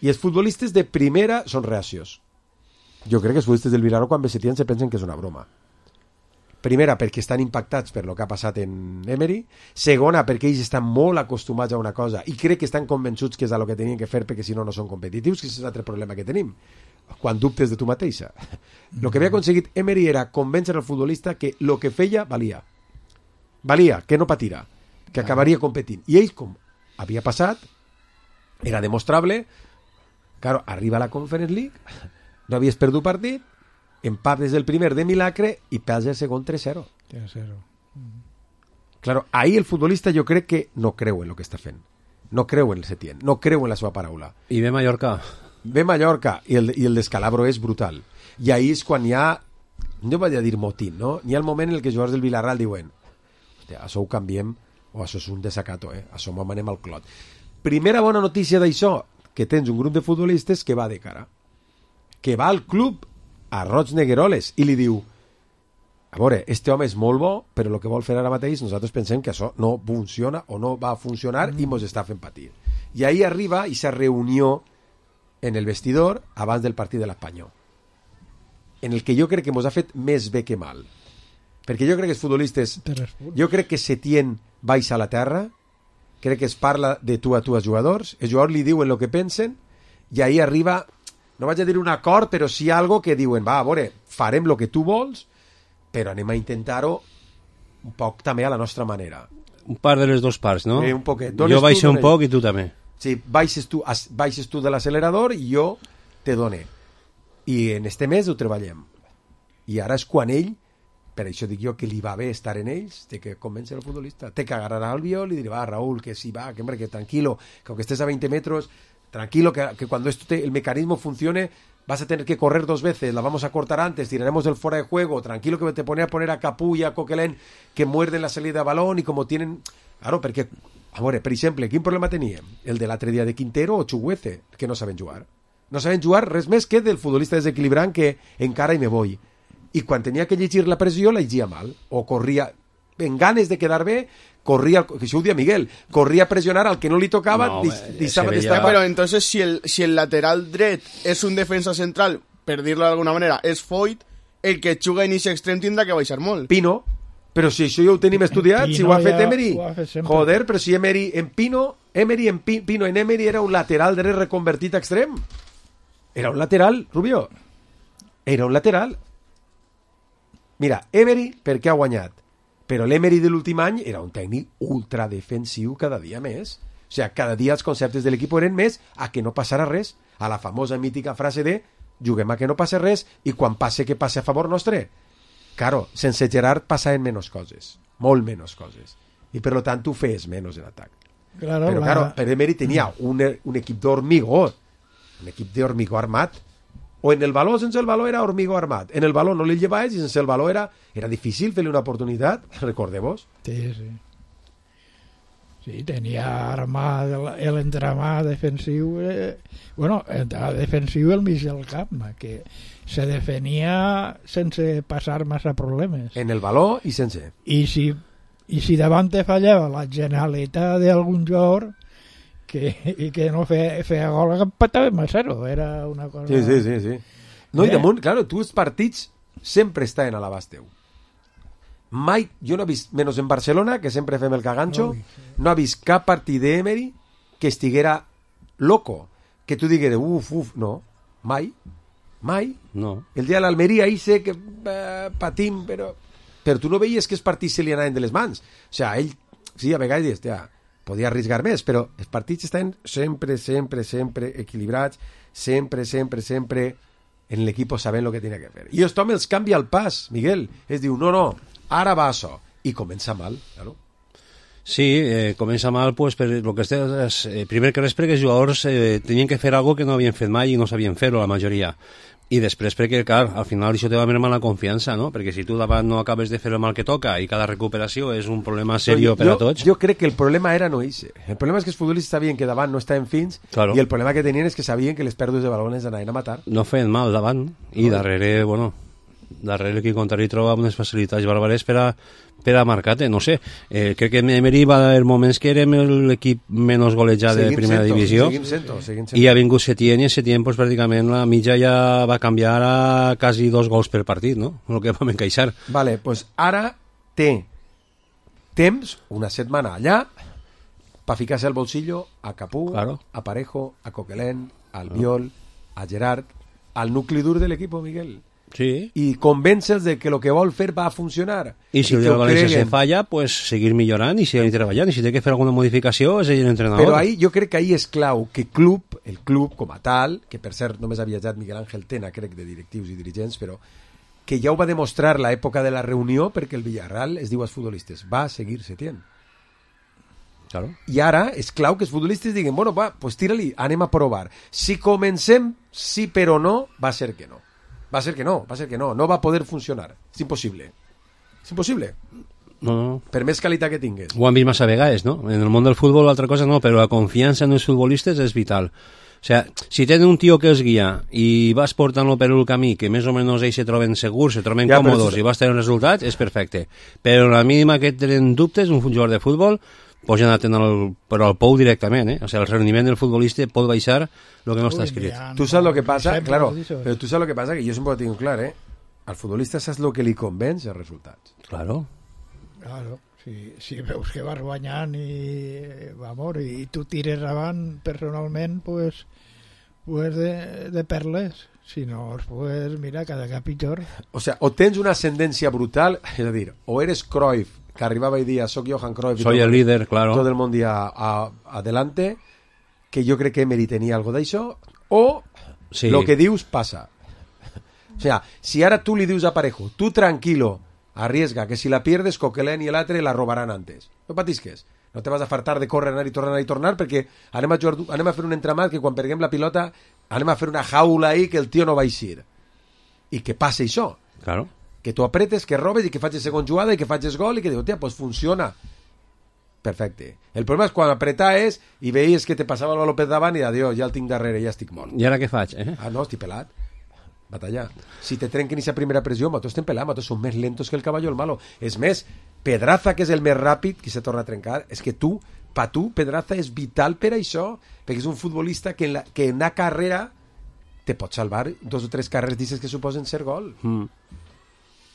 I els futbolistes de primera són reacios. Jo crec que els futbolistes del Villarreal quan ve Setién se pensen que és una broma. Primera, perquè estan impactats per el que ha passat en Emery. Segona, perquè ells estan molt acostumats a una cosa i crec que estan convençuts que és el que tenien que fer perquè si no, no són competitius, que és l'altre problema que tenim. Quan dubtes de tu mateixa. El que havia aconseguit Emery era convèncer al futbolista que el que feia valia. Valia, que no patira, que acabaria competint. I ell, com havia passat, era demostrable. Claro, arriba a la Conference League, no havies perdut partit, empat des del primer de milagre i perds el segon 3-0. 3-0. Claro, ahí el futbolista jo crec que no creu en el que està fent. No creu en el Setién, no creu en la seva paraula. I ve Mallorca. Ve Mallorca i el descalabro és brutal. I ahí és quan hi ha, no vaig a dir motín, no? Hi ha el moment en què els jugadors del Villarreal diuen hòstia, això ho canviem o això és un desacato, això m'ho manem al clot. Primera bona notícia d'això, que tens un grup de futbolistes que va de cara, que va al club a Roig Negueroles i li diu a veure, este home és molt bo però el que vol fer ara mateix nosaltres pensem que això no funciona o no va funcionar i mos està fent patir. I ahí arriba aquesta reunió en el vestidor abans del partit de l'Espanyol, en el que jo crec que mos ha fet més bé que mal, perquè jo crec que els futbolistes, jo crec que Setién baixa a la terra, crec que es parla de tu a tu als jugadors, els jugadors li diuen el que pensen i ahí arriba, no vaig a dir un acord, però sí algo que diuen, va, a veure, farem el que tu vols, però anem a intentar-ho un poc també a la nostra manera. Un part de les dues parts, no? Un poquet. Jo baixo un poc i tu també. Sí, baixes tu de l'accelerador i jo te dono. I en este mes ho treballem. I ara és quan ell, per això dic jo que li va bé estar en ells, té que convèncer el futbolista. Té que agarrar al viol i dir, va, Raúl, que sí, va, que tranquilo, que aunque estés a 20 metros, tranquilo, que cuando el mecanismo funcione, vas a tener que correr 2 veces, la vamos a cortar antes, tiraremos el fuera de juego, tranquilo que te pone a poner a Capú y a Coquelin que muerden la salida de balón y como tienen... Claro, perquè, a veure, per exemple, quin problema teníem? El de l'altre dia de Quintero o Chuguece, que no saben jugar. No saben jugar res més que del futbolista desequilibrant que encara i me voy. I quan tenia que llegir la pressió, la llegia mal. O corria, en ganes de quedar bé, corría, que això ho dia Miguel, corría a presionar al que no li tocava, Pero entonces si el lateral dret és un defensa central, per dir-lo d'alguna manera, és Foyt, el que juga en ese extrem tindrà que baixar molt. Pino, però si això ja ho tenim estudiat, si ho ha fet Emery, joder, però si Emery en Pino en Emery era un lateral dret reconvertit a extrem. Era un lateral, Rubio. Era un lateral. Mira, Emery, per què ha guanyat? Però l'Emery de l'últim any era un tècnic ultradefensiu cada dia més. O sigui, cada dia els conceptes de l'equip eren més a que no passarà res, a la famosa mítica frase de juguem a que no passi res i quan passe que passe a favor nostre. Claro, sense Gerard passaven menys coses, molt menys coses. I per tant tu feies menys en atac. Claro, però claro, per Emery tenia un equip d'hormigó, un equip d'hormigó armat. O en el baló, sense el baló era hormigó armat. En el baló no li llevaves i sense el baló era difícil fer-li una oportunitat, recordeu-vos. Sí. Sí, tenia armat l'entramat defensiu, defensiu el mig del camp, que se defenia sense passar massa problemes. En el baló i sense. I si davant te fallava la genialitat d'algun jugador que no feia gol, empatàvem a 0, era una cosa... Sí. No, i damunt, claro, tu els partits sempre estaven a l'abast teu. Mai, jo no he vist, menys en Barcelona, que sempre fem el cagancho, no he vist cap partit d'Emery que estiguera loco, que tu digueres, no, mai. No. El dia de l'Almeria, ahí sé que patim, però tu no veies que els partits se li anaven de les mans. O sigui, ell, sí, a vegades, podia arriscar més, però els partits estan sempre equilibrats, sempre en l'equip sabent el que tenia que fer. I aquest home els canvia el pas, Miguel. Es diu, no, ara va això. I comença mal, claro. Sí, comença mal, pues, per lo que estàs... primer que res perquè els jugadors tenien que fer algo que no havien fet mai i no sabien fer-ho, la majoria. I després perquè, clar, al final això te va mermar la confiança, no? Perquè si tu davant no acabes de fer el mal que toca i cada recuperació és un problema serio per a tots... Jo crec que el problema era no ese. El problema és que els futbolistes sabien que davant no estaven fins, claro. I el problema que tenien és que sabien que les pèrdues de balones anaven a matar. No feien mal davant i darrere, bueno... darrere l'equip contrari troba unes facilitats bàrbares per a marcar-te, no sé. Crec que Emery va haver moments que érem l'equip menys golejat de primera divisió i ha vingut Setién i Setién pues, pràcticament la mitja ja va canviar a quasi 2 gols per partit, no? El que vam encaixar. Vale, pues ara té temps, una setmana allà, para ficarse al bolsillo a Capú, claro, a Parejo, a Coquelin, al Albiol, a Gerard, al nucli dur del equipo, Miguel. Sí. Y convénse'ls de que lo que vol fer va a funcionar. I si el de València se falla, pues seguir millorant i seguir treballant. I si té que fer alguna modificació, és ell l'entrenador. Però ahí, jo crec que ahí és clau que el club com a tal, que per cert només ha viatjat Miguel Ángel Tena, crec, de directius i dirigents, però que ja ho va demostrar l'època de la reunió perquè el Villarreal es diu als futbolistes, va seguir Setién. Claro. I ara és clau que els futbolistes diguin, bueno, va, pues tira-li, anem a provar. Si comencem, sí però no, va ser que no. Va ser que no, no va poder funcionar. És impossible. És impossible. No. Per més qualitat que tingues. Ho han vist massa vegades, no? En el món del futbol altra cosa no, però la confiança en els futbolistes és vital. O sea, si tenen un tio que els guia i vas portant-lo per el camí, que més o menys ells se troben segurs, se troben còmodes i vas tenir resultats, és perfecte. Però a la mínima que tenen dubtes, un jugador de futbol, pues ja anar però al pou directament, eh? O sea, el rendiment del futbolista pot baixar el que no està escrit. Tu saps lo que passa, claro, però tu saps lo que passa, que jo sempre ho tinc clar, eh? Al futbolista saps lo que li convenç els resultats. Claro. Claro, si veus que vas guanyant i tu tires avant personalment, pues de perles. Si no, pues mira, cada cap pitjor. O sea, o tens una ascendència brutal, és a dir, o eres Cruyff, que arribaba y decía, soy Johan Cruyff. Soy el líder, claro. Todo el mundo adelante, que yo creo que Emery tenía algo de eso, o sí, lo que dius pasa. O sea, si ahora tú le dius a Parejo, tú tranquilo, arriesga, que si la pierdes, Coquelin y el altre la robarán antes. No patisques. No te vas a fartar de córrer, anar i tornar, perquè anem a fer un entramat que quan perguem la pilota anem a fer una jaula ahí que el tio no va a eixir. I que passe això. Claro. Que tu apretes, que robes i que facis segona jugada i que facis gol i que dius, hòstia, pues funciona. Perfecte. El problema és quan apretaves i veies que te passava el baló per davant i adiós, ja el tinc darrere, ja estic mort. I ara què faig, eh? Ah, no, estic pelat. Batallar. Si te trenquen aquesta primera pressió, nosaltres estem pelats, nosaltres som més lentos que el cavall el malo. És més, Pedraza, que és el més ràpid, que se torna a trencar, és que tu, Pedraza és vital per això, perquè és un futbolista que en la carrera te pot salvar 2 o 3 carreres dices que suposen ser gol.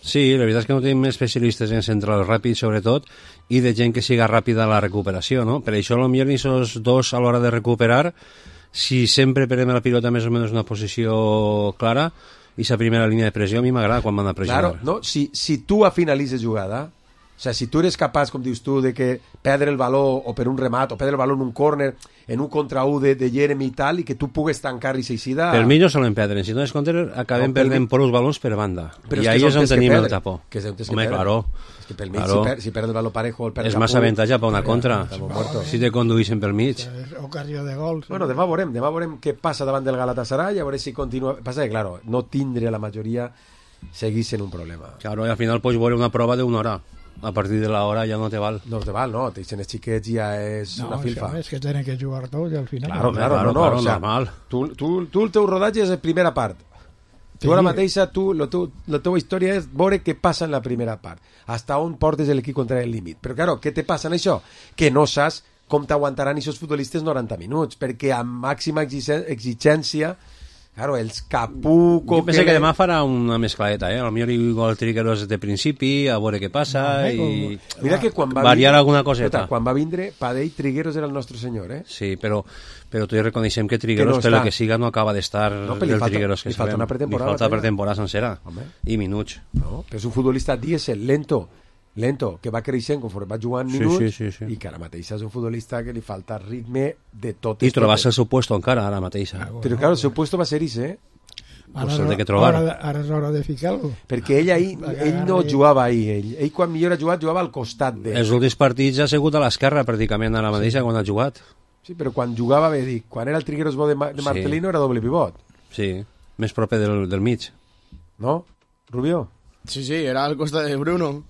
Sí, la veritat és que no tenim especialistes en centrals ràpids, sobretot, i de gent que siga ràpida a la recuperació, no? Per això, potser ni sos dos a l'hora de recuperar, si sempre perdem la pilota més o menys en una posició clara, i la primera línia de pressió a mi m'agrada quan van a pressionar. Claro, no? Si tu finalitzes jugada, o sea, si tu eres capaç, com dius tu, de que perdre el valor o per un remat, o perdre el valor en un córner, en un contra 1 de Jeremy i tal, i que tu pugues tancar i s'eixida... Per mi no solen perdre, si no és contra, acabem perdent per uns balons per banda. Però i ahí és on tenim el tapó. Home, claro. És que pel mig, si perd el valor parejo... És massa avantatge per una contra, si te conduïssin pel mig. Ocasió de gol. Bueno, demà veurem què passa davant del Galatasaray, a veure si continua... Passa que, claro, no tindre la majoria seguís sent un problema. Claro, i al final pots veure una prova d'una hora. A partir de l'hora ja no te val. No te val, no. Te dicen els xiquets ja és una filfa. No, és que tenen que jugar tots al final. Claro, o sea, normal. Tu el teu rodatge és la primera part. Tu ara mateixa, la teva història és veure què passa en la primera part. Hasta on portes l'equip contra el límit. Però, claro, què te passa en això? Que no saps com t'aguantaran aquests futbolistes 90 minuts, perquè amb màxima exigència, claro, els Capú... Jo penso que demà farà una mescladeta, eh? Potser igual Trigueros de principi, a veure què passa, i mira que quan va variar alguna coseta. Quan va vindre, Padell, Trigueros era el nostre senyor, eh? Sí, però tu ja reconeixem que Trigueros, per el que siga, no acaba d'estar del Trigueros que sabem. Li falta pretemporada sencera, i minuts. No, però és un futbolista dièsel, lento, que va creixent conforme va jugant minuts, sí. I que ara mateix és un futbolista que li falta ritme de tot. I trobar-se el seu puesto encara ara mateix. Però claro, el seu puesto va ser ese, Pues el de que trobar. Ara és hora de ficar-lo. Perquè ell no jugava ahir. Ell quan millor ha jugat, jugava al costat d'ell. Els últims partits ha sigut a l'esquerra pràcticament ara mateixa quan ha jugat. Sí, però quan jugava, quan era el Trigueros bo de Marcelino era doble pivot. Sí, més proper del mig. No, Rubio? Sí, era al costat de Bruno.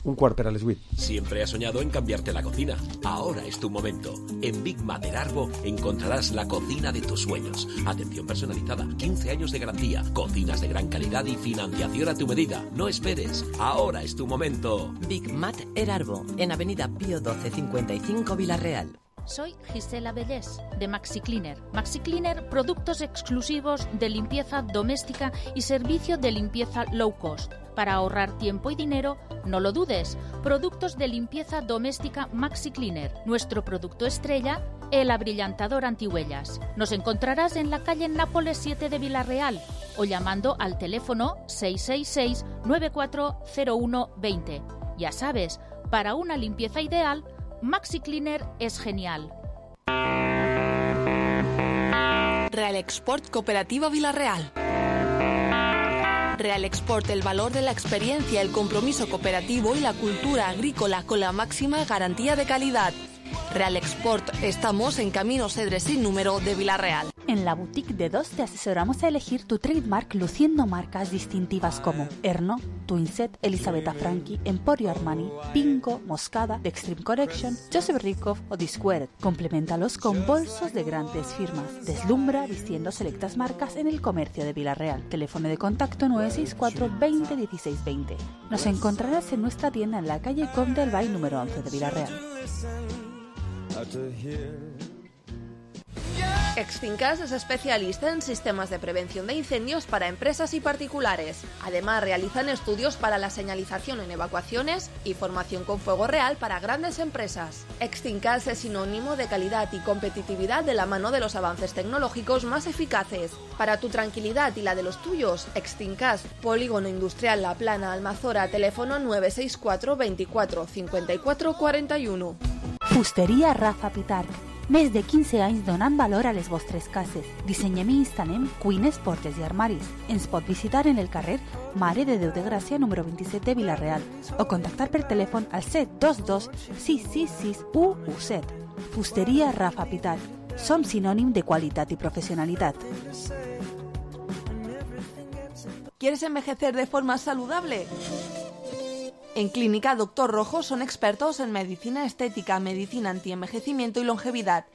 un quart per a les 8. Siempre has soñado en cambiarte la cocina. Ahora es tu momento. En Big Mat Erarbo encontrarás la cocina de tus sueños. Atención personalizada, 15 años de garantía, cocinas de gran calidad y financiación a tu medida. No esperes. Ahora es tu momento. Big Mat Erarbo, en Avenida Pío 1255 Villarreal. Soy Gisela Bellés, de Maxi Cleaner. Maxi Cleaner, productos exclusivos de limpieza doméstica y servicio de limpieza low cost. Para ahorrar tiempo y dinero, no lo dudes. Productos de limpieza doméstica Maxi Cleaner. Nuestro producto estrella, el abrillantador antihuellas. Nos encontrarás en la calle Nápoles 7 de Villarreal o llamando al teléfono 666-940120. Ya sabes, para una limpieza ideal, Maxi Cleaner es genial. Real Export Cooperativa Villarreal. Real Export, el valor de la experiencia, el compromiso cooperativo y la cultura agrícola con la máxima garantía de calidad. Real Export, estamos en Camino Cedres sin número de Villarreal. En la boutique de DOS te asesoramos a elegir tu trademark luciendo marcas distintivas como Erno, Twinset, Elisabetta Franchi, Emporio Armani, Pinko, Moscada, The Extreme Collection, Joseph Rikov o Disquared. Compleméntalos con bolsos de grandes firmas. Deslumbra vistiendo selectas marcas en el comercio de Villarreal. Teléfono de contacto 964 20 16 20. Nos encontrarás en nuestra tienda en la calle Comte del Bay número 11 de Villarreal. Extincas es especialista en sistemas de prevención de incendios para empresas y particulares. Además, realizan estudios para la señalización en evacuaciones y formación con fuego real para grandes empresas. Extincas es sinónimo de calidad y competitividad de la mano de los avances tecnológicos más eficaces. Para tu tranquilidad y la de los tuyos, Extincas, Polígono Industrial La Plana, Almazora, teléfono 964 24 54 41. Fusteria Rafa Pitarch. Més de 15 anys donant valor a les vostres cases. Dissenyem i instal·lem cuines, portes i armaris. Ens pot visitar en el carrer Mare de Déu de Gràcia, número 27 de Villarreal, o contactar per telèfon al 722 666 117. Fusteria Rafa Pitarch. Som sinònim de qualitat i professionalitat. ¿Quieres envejecer de forma saludable? En Clínica Dr. Rojo son expertos en medicina estética, medicina antienvejecimiento y longevidad.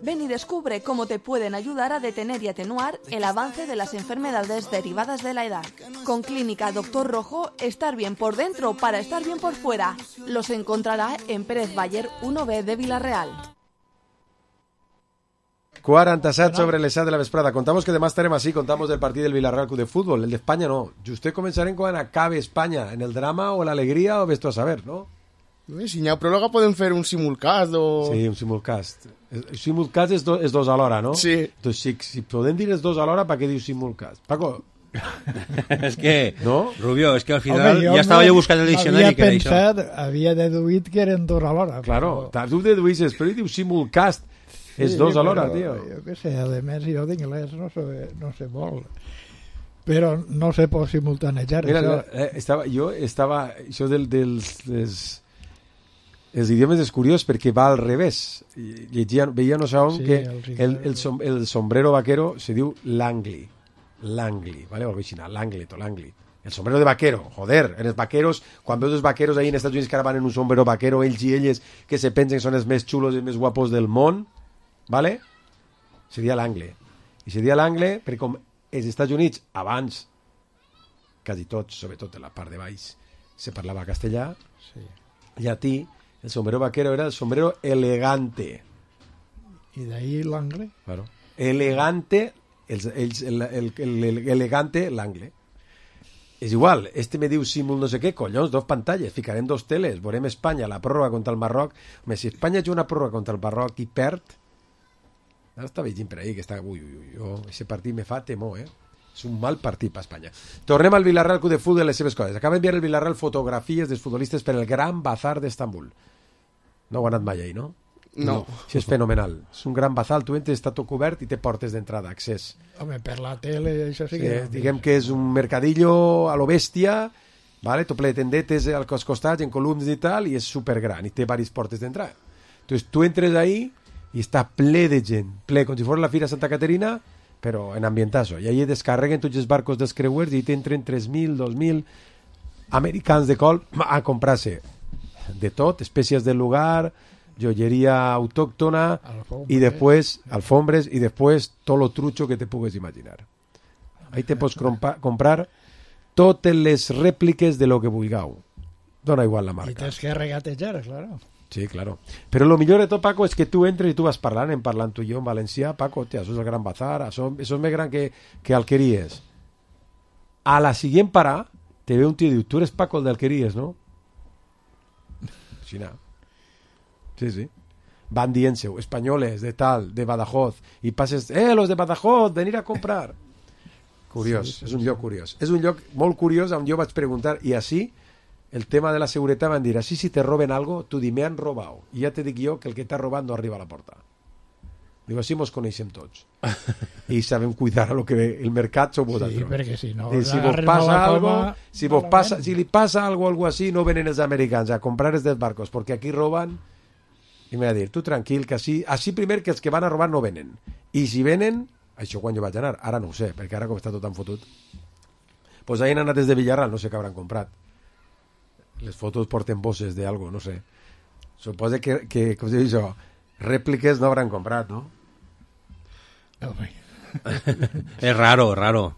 Ven y descubre cómo te pueden ayudar a detener y atenuar el avance de las enfermedades derivadas de la edad. Con Clínica Dr. Rojo, estar bien por dentro para estar bien por fuera. Los encontrará en Pérez Baller 1B de Villarreal. 47 sobre les 7 de la vesprada. Contamos que demà estarem així, contamos del partit del Villarreal Club de Fútbol, el d'Espanya no. Justet començarem quan acabe Espanya, en el drama o l'alegria o ves tu a saber, no? Si n'hi ha pròrroga podem fer un simulcast o... Sí, un simulcast. El simulcast és dos alhora, no? Sí. Entonces, si podem dir els dos alhora, ¿para qué dius simulcast? Paco... Es que, ¿no? Rubio, es que al final ya estaba yo buscando el diccionari que era això. Havia deduït que eren dos alhora. Claro, tu deduïsses, però diu simulcast. És dos alhora, tio. Jo què sé, a més jo d'anglès no sé molt. Però no sé por simultanejar. Mira, això els idiomes és curiós perquè va al revés. Veia no sabem que el sombrero vaquero se diu l'angli. L'angli, ¿vale? L'anglet o l'angli. El sombrero de vaquero, joder, en els vaqueros, quan veus els vaqueros ahí en Estats Units que ara van en un sombrero vaquero, ells i elles que se pensen que són els més xulos i els més guapos del món, ¿vale? Seria l'angle. I seria l'angle perquè com els Estats Units abans, quasi tots, sobretot en la part de baix, se parlava castellà, llatí, el sombrero vaquero era el sombrero elegante. I d'ahí l'angle? Claro. Elegante, elegante, l'angle. És igual, me diu símbol no sé què, collons, dos pantalles, ficarem dos teles, veurem Espanya, la pròrroga contra el Marroc. Home, si Espanya juga una pròrroga contra el Marroc i perd, ara està veient per ahí que està, ese partit me fa temor, és un mal partit per Espanya. Tornem al Villarreal Club de Futbol i les seves coses. Acaba d'enviar el Villarreal fotografies dels futbolistes per el Gran Bazar d'Estambul. No ho ha anat mai ahí, no? No. Això és fenomenal. És un gran bazar, tu entres, està tot cobert i té portes d'entrada, accés. Home, per la tele, això sí que... Diguem que és un mercadillo a lo bèstia, vale? Tot ple de tendetes als costats, en columnes i tal, i és supergran, i té diverses portes d'entrada. Entonces, tu entres ahí i està ple de gent, ple, com si fos la Fira Santa Caterina, però en ambientazo. I ahí descarreguen tots els barcos dels creuers i t'entren 3.000, 2.000 americans de colp a comprar-se de tot, especias del lugar, joyería autóctona y después alfombres y después todo lo trucho que te pugues imaginar. Ahí te pots comprar totes les rèpliques de lo que vulgueu. Dona igual la marca. Y tens que regatejar, claro. Sí, claro. Pero lo millor de tot, Paco, és que tu entres i tu vas parlant tu i jo en valencià. Paco, hòstia, això és el Gran Bazar, això és més gran que Alqueries. A la siguiente parada te ve un tío y diu, tú eres Paco el de Alqueries, ¿no? Xina. Sí. Van dient-se, españoles, de tal, de Badajoz, i passes, los de Badajoz, venir a comprar. Curiós, sí, és un lloc curiós. És un lloc molt curiós on jo vaig preguntar, i així, el tema de la seguretat van dir, així si te roben algo, tu di, me han robado, i ja te dic jo que el que t'ha robat no arriba a la porta. Digo, així mos coneixem tots. I sabem cuidar el que ve. El mercat sou vosaltres. Sí, perquè si no... Si vos passa algo, si li passa algo així, no venen els americans a comprar els dels barcos, perquè aquí roban. I m'ha de dir, tu tranquil, que així primer que els que van a robar no venen. I si venen, això quan jo vaig anar, ara no ho sé, perquè ara com està tot tan fotut. Pues ahí han anat des de Villarral, no sé què hauran comprat. Les fotos porten bosses d'algo, no sé. Suposa que com se diu això, rèpliques no hauran comprat, no? Es raro.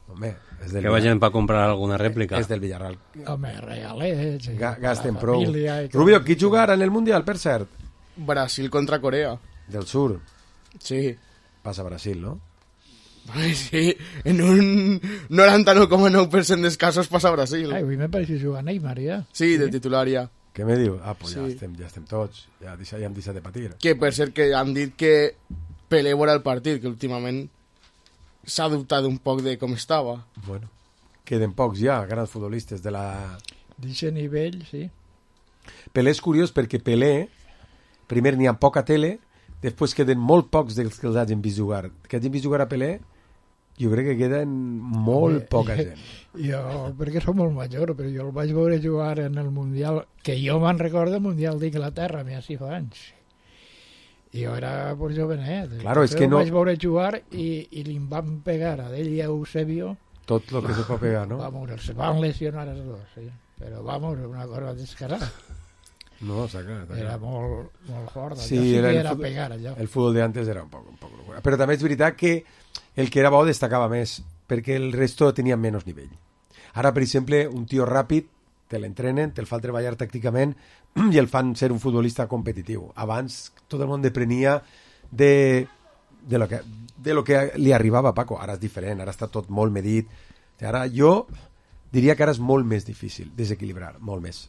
Home, que vayan para comprar alguna réplica. És del Villarral. Home, regalets. Gasten prou. Rubio, qui jugarà en el Mundial, per cert? Brasil contra Corea. Del sur. Sí. Passa Brasil, ¿no? Sí, en un 99,9% dels casos passa Brasil. Ai, avui me pareix jugar Neymar, ja. Sí, de titular, ja. Què me diu? Ah, pues sí. ja estem tots. Ja hem deixat de patir. Que per cert que han dit que Pelé veurà el partit, que últimament s'ha dubtat un poc de com estava. Bueno, queden pocs ja, grans futbolistes de la... D'aquest nivell, sí. Pelé és curiós perquè Pelé, primer n'hi ha poca tele, després queden molt pocs dels que els hagin vist jugar. Que hagin vist jugar a Pelé, jo crec que queden molt poca gent. Jo, perquè som molt major, però jo el vaig veure jugar en el Mundial, que jo me'n recordo el Mundial d'Inglaterra, m'ha 6 anys. I jo era pues, jovenet. Claro, és que no... vaig veure jugar i li van pegar a ell i a Eusebio. Tot el que se pot pegar, no? Vamos, se van lesionar els dos, sí. Però vamos, una cosa descarada. No, saca. Era molt fort. Sí, sí era era pegar allò. El futbol d'antes era un poc locura. Però també és veritat que el que era bo destacava més, perquè el resto tenia menys nivell. Ara, per exemple, un tio ràpid, te l'entrenen, te'l fan treballar tàcticament i el fan ser un futbolista competitiu. Abans tot el món deprenia de lo que li arribava a Paco. Ara és diferent, ara està tot molt medit. Ara jo diria que ara és molt més difícil desequilibrar, molt més.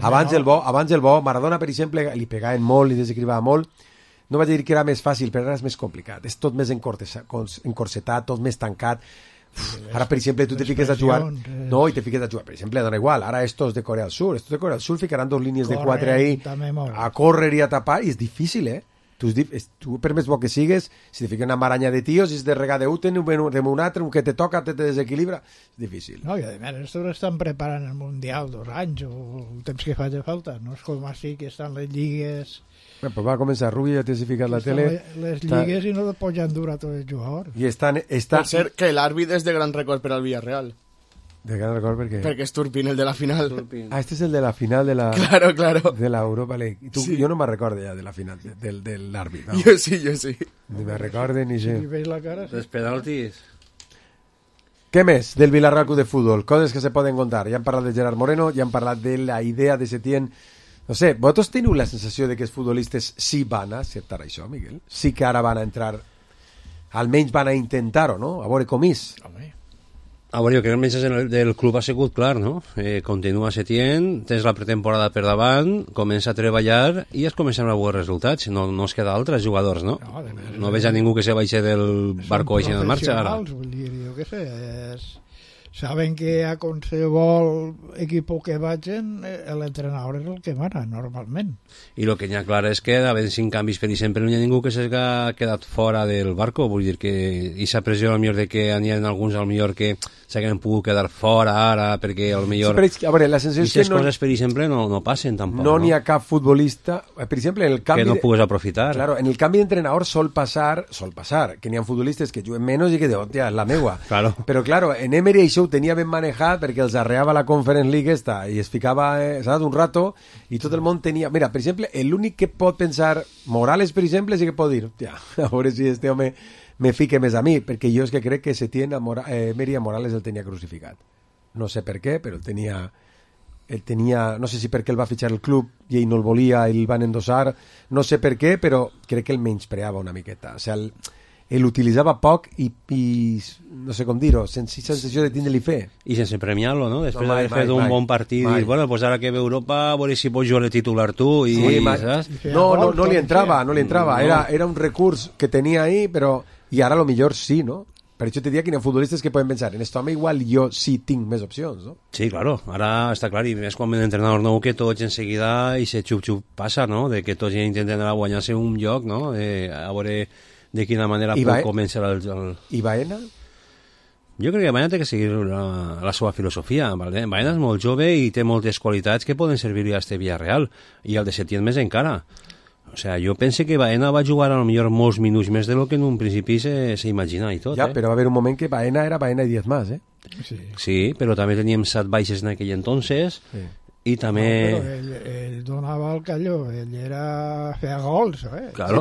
Abans el bo, Maradona, per exemple, li pegaven molt, li desequilibrava molt. No vaig dir que era més fàcil, però ara és més complicat. És tot més encorsetat, tot més tancat. Ara, per exemple, tu te fiques a jugar... No, i te fiques a jugar, per exemple, dona igual. Ara estos de Corea del Sur. Estos de Corea del Sur ficaran 2 línies de 4 ahí a córrer i a tapar, i és difícil, eh? Tu, per més bo que sigues, si te fica una maranya de tios, si és de regar d'un, de un altre, un que te toca, te desequilibra, és difícil. No, i a més, estos estan preparant el Mundial 2 anys, o el temps que faci falta. No és com així que estan les lligues... Pues va a començar, Rubi, ja t'has ficat la tele... Les lligues i no et poden durar tots els jugadors. I Per cert, que l'àrbit és de gran record per al Villarreal. De gran record per què? Perquè és Turpin, el de la final. Ah, este és el de la final de la... Claro. De la Europa League. Sí. Jo no me'n recordo ja de la final, de l'àrbit. No. Jo sí. Ni me'n recordo ni sé. Si veus la cara, sí. Els penaltis... Què més del Villarreal Club de Fútbol? Coses que se poden contar. Ja hem parlat de Gerard Moreno, ja hem parlat de la idea de Setién. No sé, vosaltres teniu la sensació de que els futbolistes sí van a acceptar això, Miguel? Sí que ara van a entrar, almenys van a intentar-ho, no? A veure com és. A veure, jo crec que el missatge del club ha sigut clar, no? Continua Setién, tens la pretemporada per davant, comença a treballar i es comencen a veure resultats. No es queda altres jugadors, no? No veig a ningú que se baixi del barco i en marxa ara. Vull dir, jo què sé, saben que a qualsevol equip que vagin l'entrenador és el que mana normalment, i el que hi ha clar és que havent 5 canvis per exemple no hi ha ningú que s'hagi quedat fora del barco, vull dir que aquesta pressió al millor de que n'hi ha alguns al millor que s'hagin pogut quedar fora ara perquè al millor sí, a veure, la sensació és que coses per exemple no passen tampoc, no n'hi ha cap futbolista per exemple en el canvi que no pugues aprofitar. Claro, en el canvi d'entrenador sol passar que n'hi ha futbolistes que juguen menys i que de hòstia, és la meua, claro. Però claro, en Emery això això ho tenia ben manejat perquè els arreava la Conference League i es ficava, saps, un rato, i tot el món tenia... Mira, per exemple, l'únic que pot pensar... Morales, per exemple, sí que pot dir, hòstia, a veure si este home me fique més a mi, perquè jo és que crec que Emery a Morales el tenia crucificat. No sé per què, però el tenia, no sé si perquè el va fitxar el club i ell no el volia i el van endossar, no sé per què, però crec que el menyspreava una miqueta. O sigui, l'utilitzava poc i no sé com dir-ho, sense sensació de tindre-li fe. I sense premiar-lo, no? Després d'haver fet un bon partit, dir, bueno, pues ara que ve Europa, a veure si pots jugar de titular tu i... Sí, no li entrava. Era un recurs que tenia ahí, però... I ara lo millor sí, no? Per això te diria que hi ha futbolistes que poden pensar en esto home igual jo sí tinc més opcions, no? Sí, claro, ara està clar, i més quan ve l'entrenador nou que tots en seguida i se xup-xup passa, no? De que tots intenten guanyar-se un lloc, no? A veure de quina manera pot començar el... I Baena? Jo crec que Baena té que seguir la seva filosofia. Vale? Baena és molt jove i té moltes qualitats que poden servir-li a este Villarreal, i el de Setién més encara. O sea, jo penso que Baena va jugar a lo millor molts minuts més de lo que en un principi s'imagina i tot. Ja, però va haver un moment que Baena era Baena i 10 més, Sí, però també teníem 7 baixes en aquell entonces, i també... No, però ell donava el calló, ell feia gols, Claro.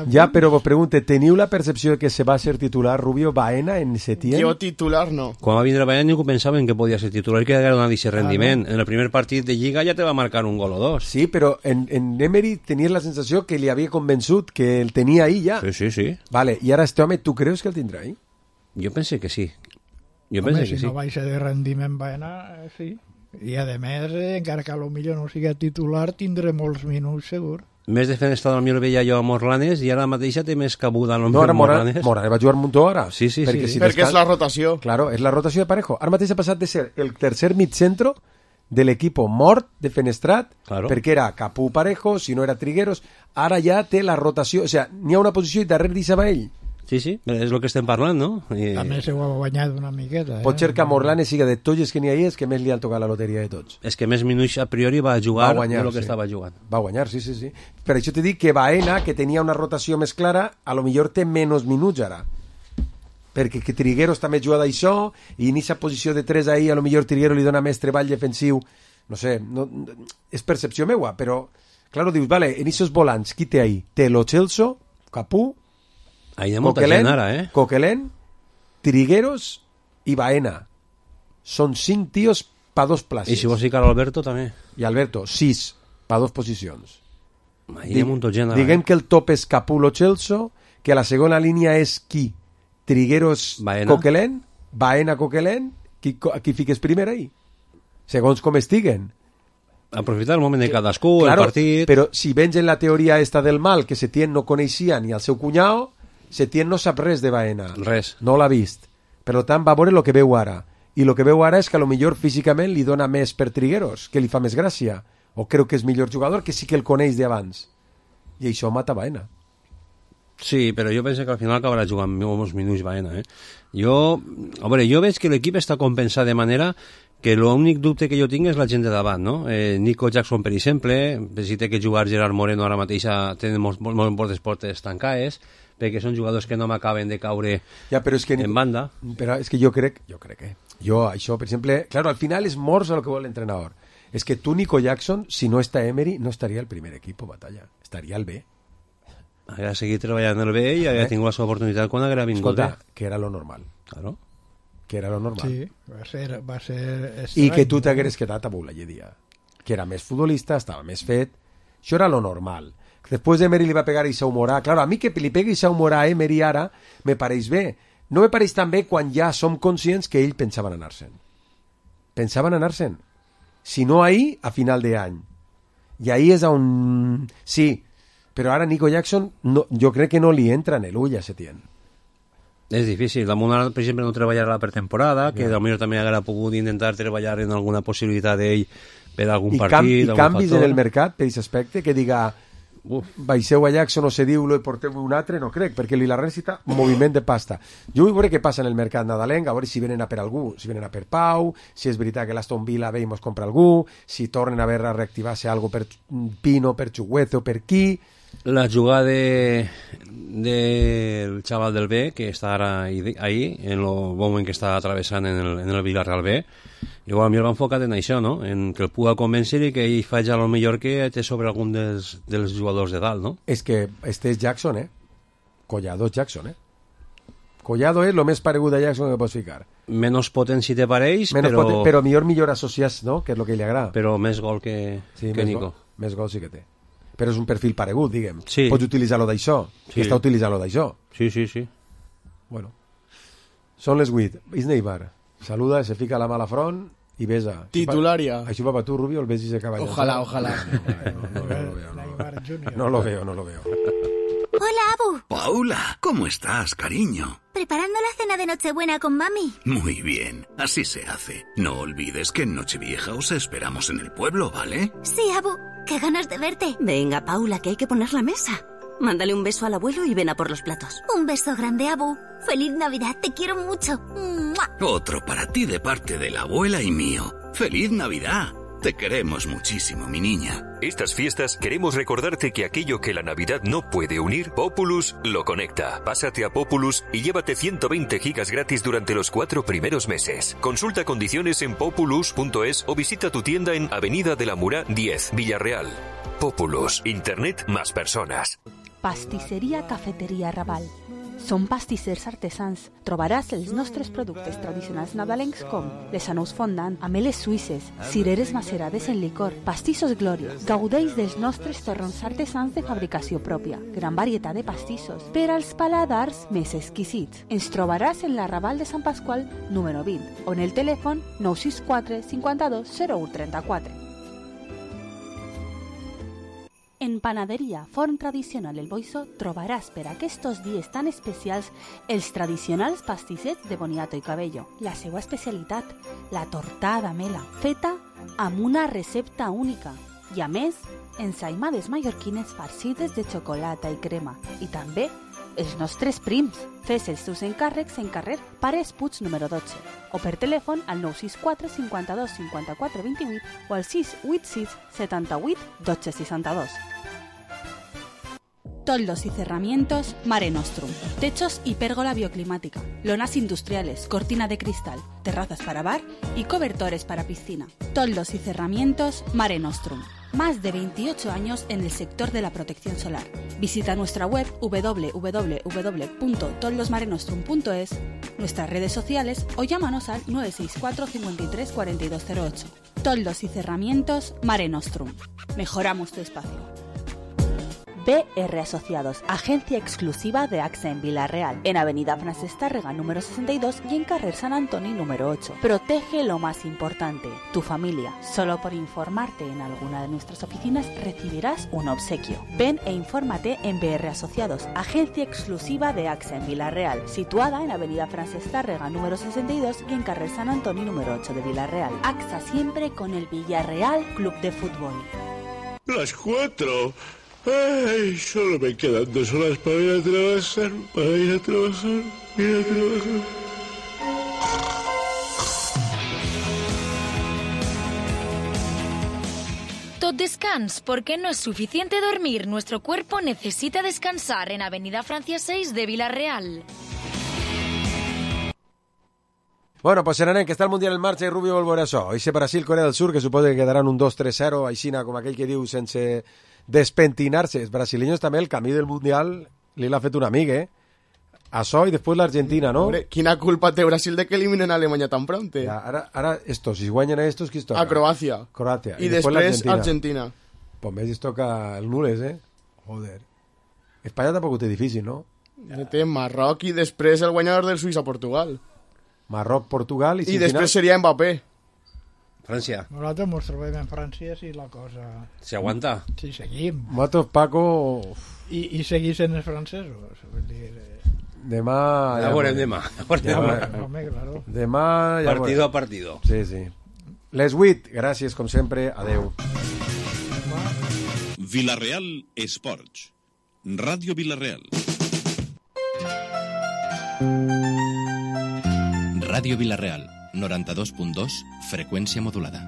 Sí, però vos pregunte, teniu la percepció que se va ser titular Rubio Baena en Setién? Jo titular no. Quan va vindre Baena ningú pensava en que podia ser titular i que haguera donat aquest rendiment. En el primer partit de Lliga ja te va marcar un gol o dos. Sí, però en Emery tenies la sensació que li havia convençut, que el tenia ahí ja. Sí. Vale, i ara este home, tu creus que el tindrà ahí? Jo penso que sí. Si no baixa de rendiment Baena, sí. I a més, encara que potser no sigui titular, tindré molts minuts segur. Més defensor del millor veia jo a Morlanes i ara mateixa té més cabuda no, ara Morlanes va jugar un muntó ara. Sí. Perquè és la rotació. Claro, és la rotació de Parejo. Ara mateix ha passat de ser el tercer mitcentro de l'equip mort de Fenestrat, perquè era Capú Parejo, si no era Trigueros, ara ja té la rotació, o sigui, n'hi ha una posició i darrere deixava ell. Sí, és el que estem parlant, no? A més ho ha guanyat una miqueta. Pot ser que Morlanes siga de tots els que n'hi ha és que més li han tocat la loteria de tots. És que més minuts a priori va jugar de lo que estava jugant. Va guanyar, sí. Per això te dic que Baena, que tenia una rotació més clara, a lo millor té menys minuts ara. Perquè que Trigueros també juga d'això, i en aquesta posició de 3 ahí, a lo millor Trigueros li dona més treball defensiu. No sé, és percepció meua, però, claro, dius, vale, en aquests volants, qui té ahí? Té Lo Celso, Capú, Coquelin, Trigueros i Baena. Són 5 tios pa 2 places. I si vols ficar Alberto també. I Alberto, 6 pa 2 posicions. Diguem que el top és Capú, Lo Celso, que la segona línia és qui? Trigueros, Coquelin, Baena, Coquelin, qui fiques primer ahí? Segons com estiguen. Aprofitar el moment de cadascú, el partit... Però si vens en la teoria esta del mal, que Setién no coneixia ni el seu cunyau, Setién no sap res de Baena. Res. No l'ha vist. Per tant, va veure el que veu ara. I el que veu ara és que a lo millor físicament li dona més per Trigueros, que li fa més gràcia. O creu que és millor jugador, que sí que el coneix d'abans. I això mata Baena. Sí, però jo penso que al final acabarà jugant molts minuts Baena. Jo veig que l'equip està compensat de manera que l'únic dubte que jo tinc és la gent de davant, no? Nico Jackson, per exemple, si té que jugar Gerard Moreno ara mateix tenen moltes portes tancades, perquè són jugadors que no m'acaben de caure en banda. Però és que jo crec això, per exemple, claro, al final és morts a lo que vol l'entrenador. És que tu, Nico Jackson, si no està Emery, no estaria al primer equip, Batalla. Estaria al B. Hauria seguit treballant en el B i hauria tingut la seva oportunitat quan hauria vingut. Escolta, que era lo normal. Claro. Que era lo normal. Sí, va ser estrany. I que tu t'hagueres quedat a Boullayedia. Que era més futbolista, estava més fet. Això era lo normal. Després Emery li va pegar a Morà. Claro, a mi que li pegui Morà a Emery ara me pareix bé. No me pareix tan bé quan ja som conscients que ell pensaven anar-se'n. Pensaven anar-se'n. Si no ahir, a final d'any. I ahir és on... Sí, però ara Nico Jackson jo crec que no li entra en l'ull a Setién. És difícil. Damunt ara, per exemple, no treballarà la pretemporada, que potser també hauria pogut intentar treballar en alguna possibilitat d'ell per algun partit. I canvis en el mercat per aquest aspecte, que diga baixeu a Jackson o cediu-lo i porteu un altre, no crec, perquè li la necessita moviment de pasta. Jo vull veure què passa en el mercat nadalenc, a veure si venen a per algú, si venen a per Pau, si és veritat que l'Aston Villa ve i mos compra algú, si tornen a veure a reactivar-se algo per Pino, per Chuguete o per qui... la jugada del chaval del B, que està ara ahí, en el moment que està travessant en el Villarreal B, igual mi el va enfocat en això, no? En que el puga convèncer i que ell faci el millor que té sobre algun dels jugadors de dalt, no? És que este és Jackson, Collado és Jackson, Collado és el més paregut a Jackson que pots ficar. Menos potent si te pareix, però millor associats, no? Que és el que li agrada. Però més gol que Nico. Més gol sí que té. Però és un perfil paregut, diguem. Sí. Pots utilitzar-lo d'això. Sí. Està utilitzant-lo d'això. Sí. Bueno. Són les 8. Isneibar. Saluda, se fica la mà a la front i besa. Titularia. Això va per tu, Rubio, el ves ese caballero. Ojalá. No lo veo. Hola, Abu. Paula, ¿cómo estás, cariño? Preparando la cena de Nochebuena con mami. Muy bien, así se hace. No olvides que en Nochevieja os esperamos en el pueblo, ¿vale? Sí, Abu. Qué ganas de verte. Venga, Paula, que hay que poner la mesa. Mándale un beso al abuelo y ven a por los platos. Un beso grande, Abu. Feliz Navidad, te quiero mucho. ¡Mua! Otro para ti de parte de la abuela y mío. ¡Feliz Navidad! Te queremos muchísimo, mi niña. Estas fiestas queremos recordarte que aquello que la Navidad no puede unir, Populus lo conecta. Pásate a Populus y llévate 120 gigas gratis durante los 4 primeros meses. Consulta condiciones en populus.es o visita tu tienda en Avenida de la Murá 10, Villarreal. Populus, Internet más personas. Pastisseria Cafeteria Raval. Som pastissers artesans. Trobaràs els nostres productes tradicionals nadalencs com les anous fondant, ameles suïsses, cireres macerades en licor, pastissos glòries. Gaudeix dels nostres torrons artesans de fabricació pròpia. Gran varietat de pastissos per als paladars més exquisits. Ens trobaràs en la Raval de Sant Pasqual número 20 o en el telèfon 964 52 01 34. En Panaderia Forn Tradicional El Boiso trobaràs per aquests dies tan especials els tradicionals pastissets de boniato i cabello. La seva especialitat, la tortada mela, feta amb una recepta única. I a més, ensaïmades mallorquines farcides de xocolata i crema. I també els nostres prims. Fes els teus encàrrecs en carrer Pares Puig número 12 o per telèfon al 964 52 54 28 o al 686 78 12 62. Toldos y cerramientos Mare Nostrum. Techos y pérgola bioclimática. Lonas industriales, cortina de cristal, terrazas para bar y cobertores para piscina. Toldos y cerramientos Mare Nostrum. Más de 28 años en el sector de la protección solar. Visita nuestra web www.toldosmarenostrum.es, nuestras redes sociales o llámanos al 964 53 4208. Toldos y cerramientos Mare Nostrum. Mejoramos tu espacio. BR Asociados, agencia exclusiva de AXA en Villarreal, en Avenida Francesc Tàrrega número 62 y en Carrer San Antoni número 8. Protege lo más importante, tu familia. Solo por informarte en alguna de nuestras oficinas recibirás un obsequio. Ven e infórmate en BR Asociados, agencia exclusiva de AXA en Villarreal, situada en Avenida Francesc Tàrrega número 62 y en Carrer San Antoni número 8 de Villarreal. AXA siempre con el Villarreal Club de Fútbol. Las 4. Ay, solo me quedan 2 horas para ir a trabajar, Tot descans, porque no es suficiente dormir. Nuestro cuerpo necesita descansar en Avenida Francia 6 de Villarreal. Bueno, pues Serenet, que està el Mundial en marxa i Rubio vol veure això. Eixe Brasil-Corea del Sur, que suposa que quedaran un 2-3-0, aixina com aquell que diu, sense despentinarse. Els brasileños també, el camí del Mundial li l'ha fet un amic, Això i després l'Argentina, ¿no? Hombre, quina culpa té Brasil de que eliminen a Alemanya tan pronte? Ja, ara estos, si guanyen a estos, qui es toca? A Croàcia. I després Argentina. Pues més es toca el nules, Joder. Espanya tampoc ho té difícil, no? Té Marroc i després el guanyador del Suïssa-Portugal. Marroc, Portugal i després final... seria Mbappé. Francia. Nosaltres ens trobem en França si la cosa... ¿Se aguanta? Sí, seguim. Nosaltres, Paco... I seguís en els francesos. Vull dir... Demà... Ja veurem demà. Home, claro. Demà... Ja partido a partido. Sí, sí. Les 8, gràcies, com sempre. Adeu. Villarreal Esports. Ràdio Villarreal. Ràdio Villarreal, 92.2, freqüència modulada.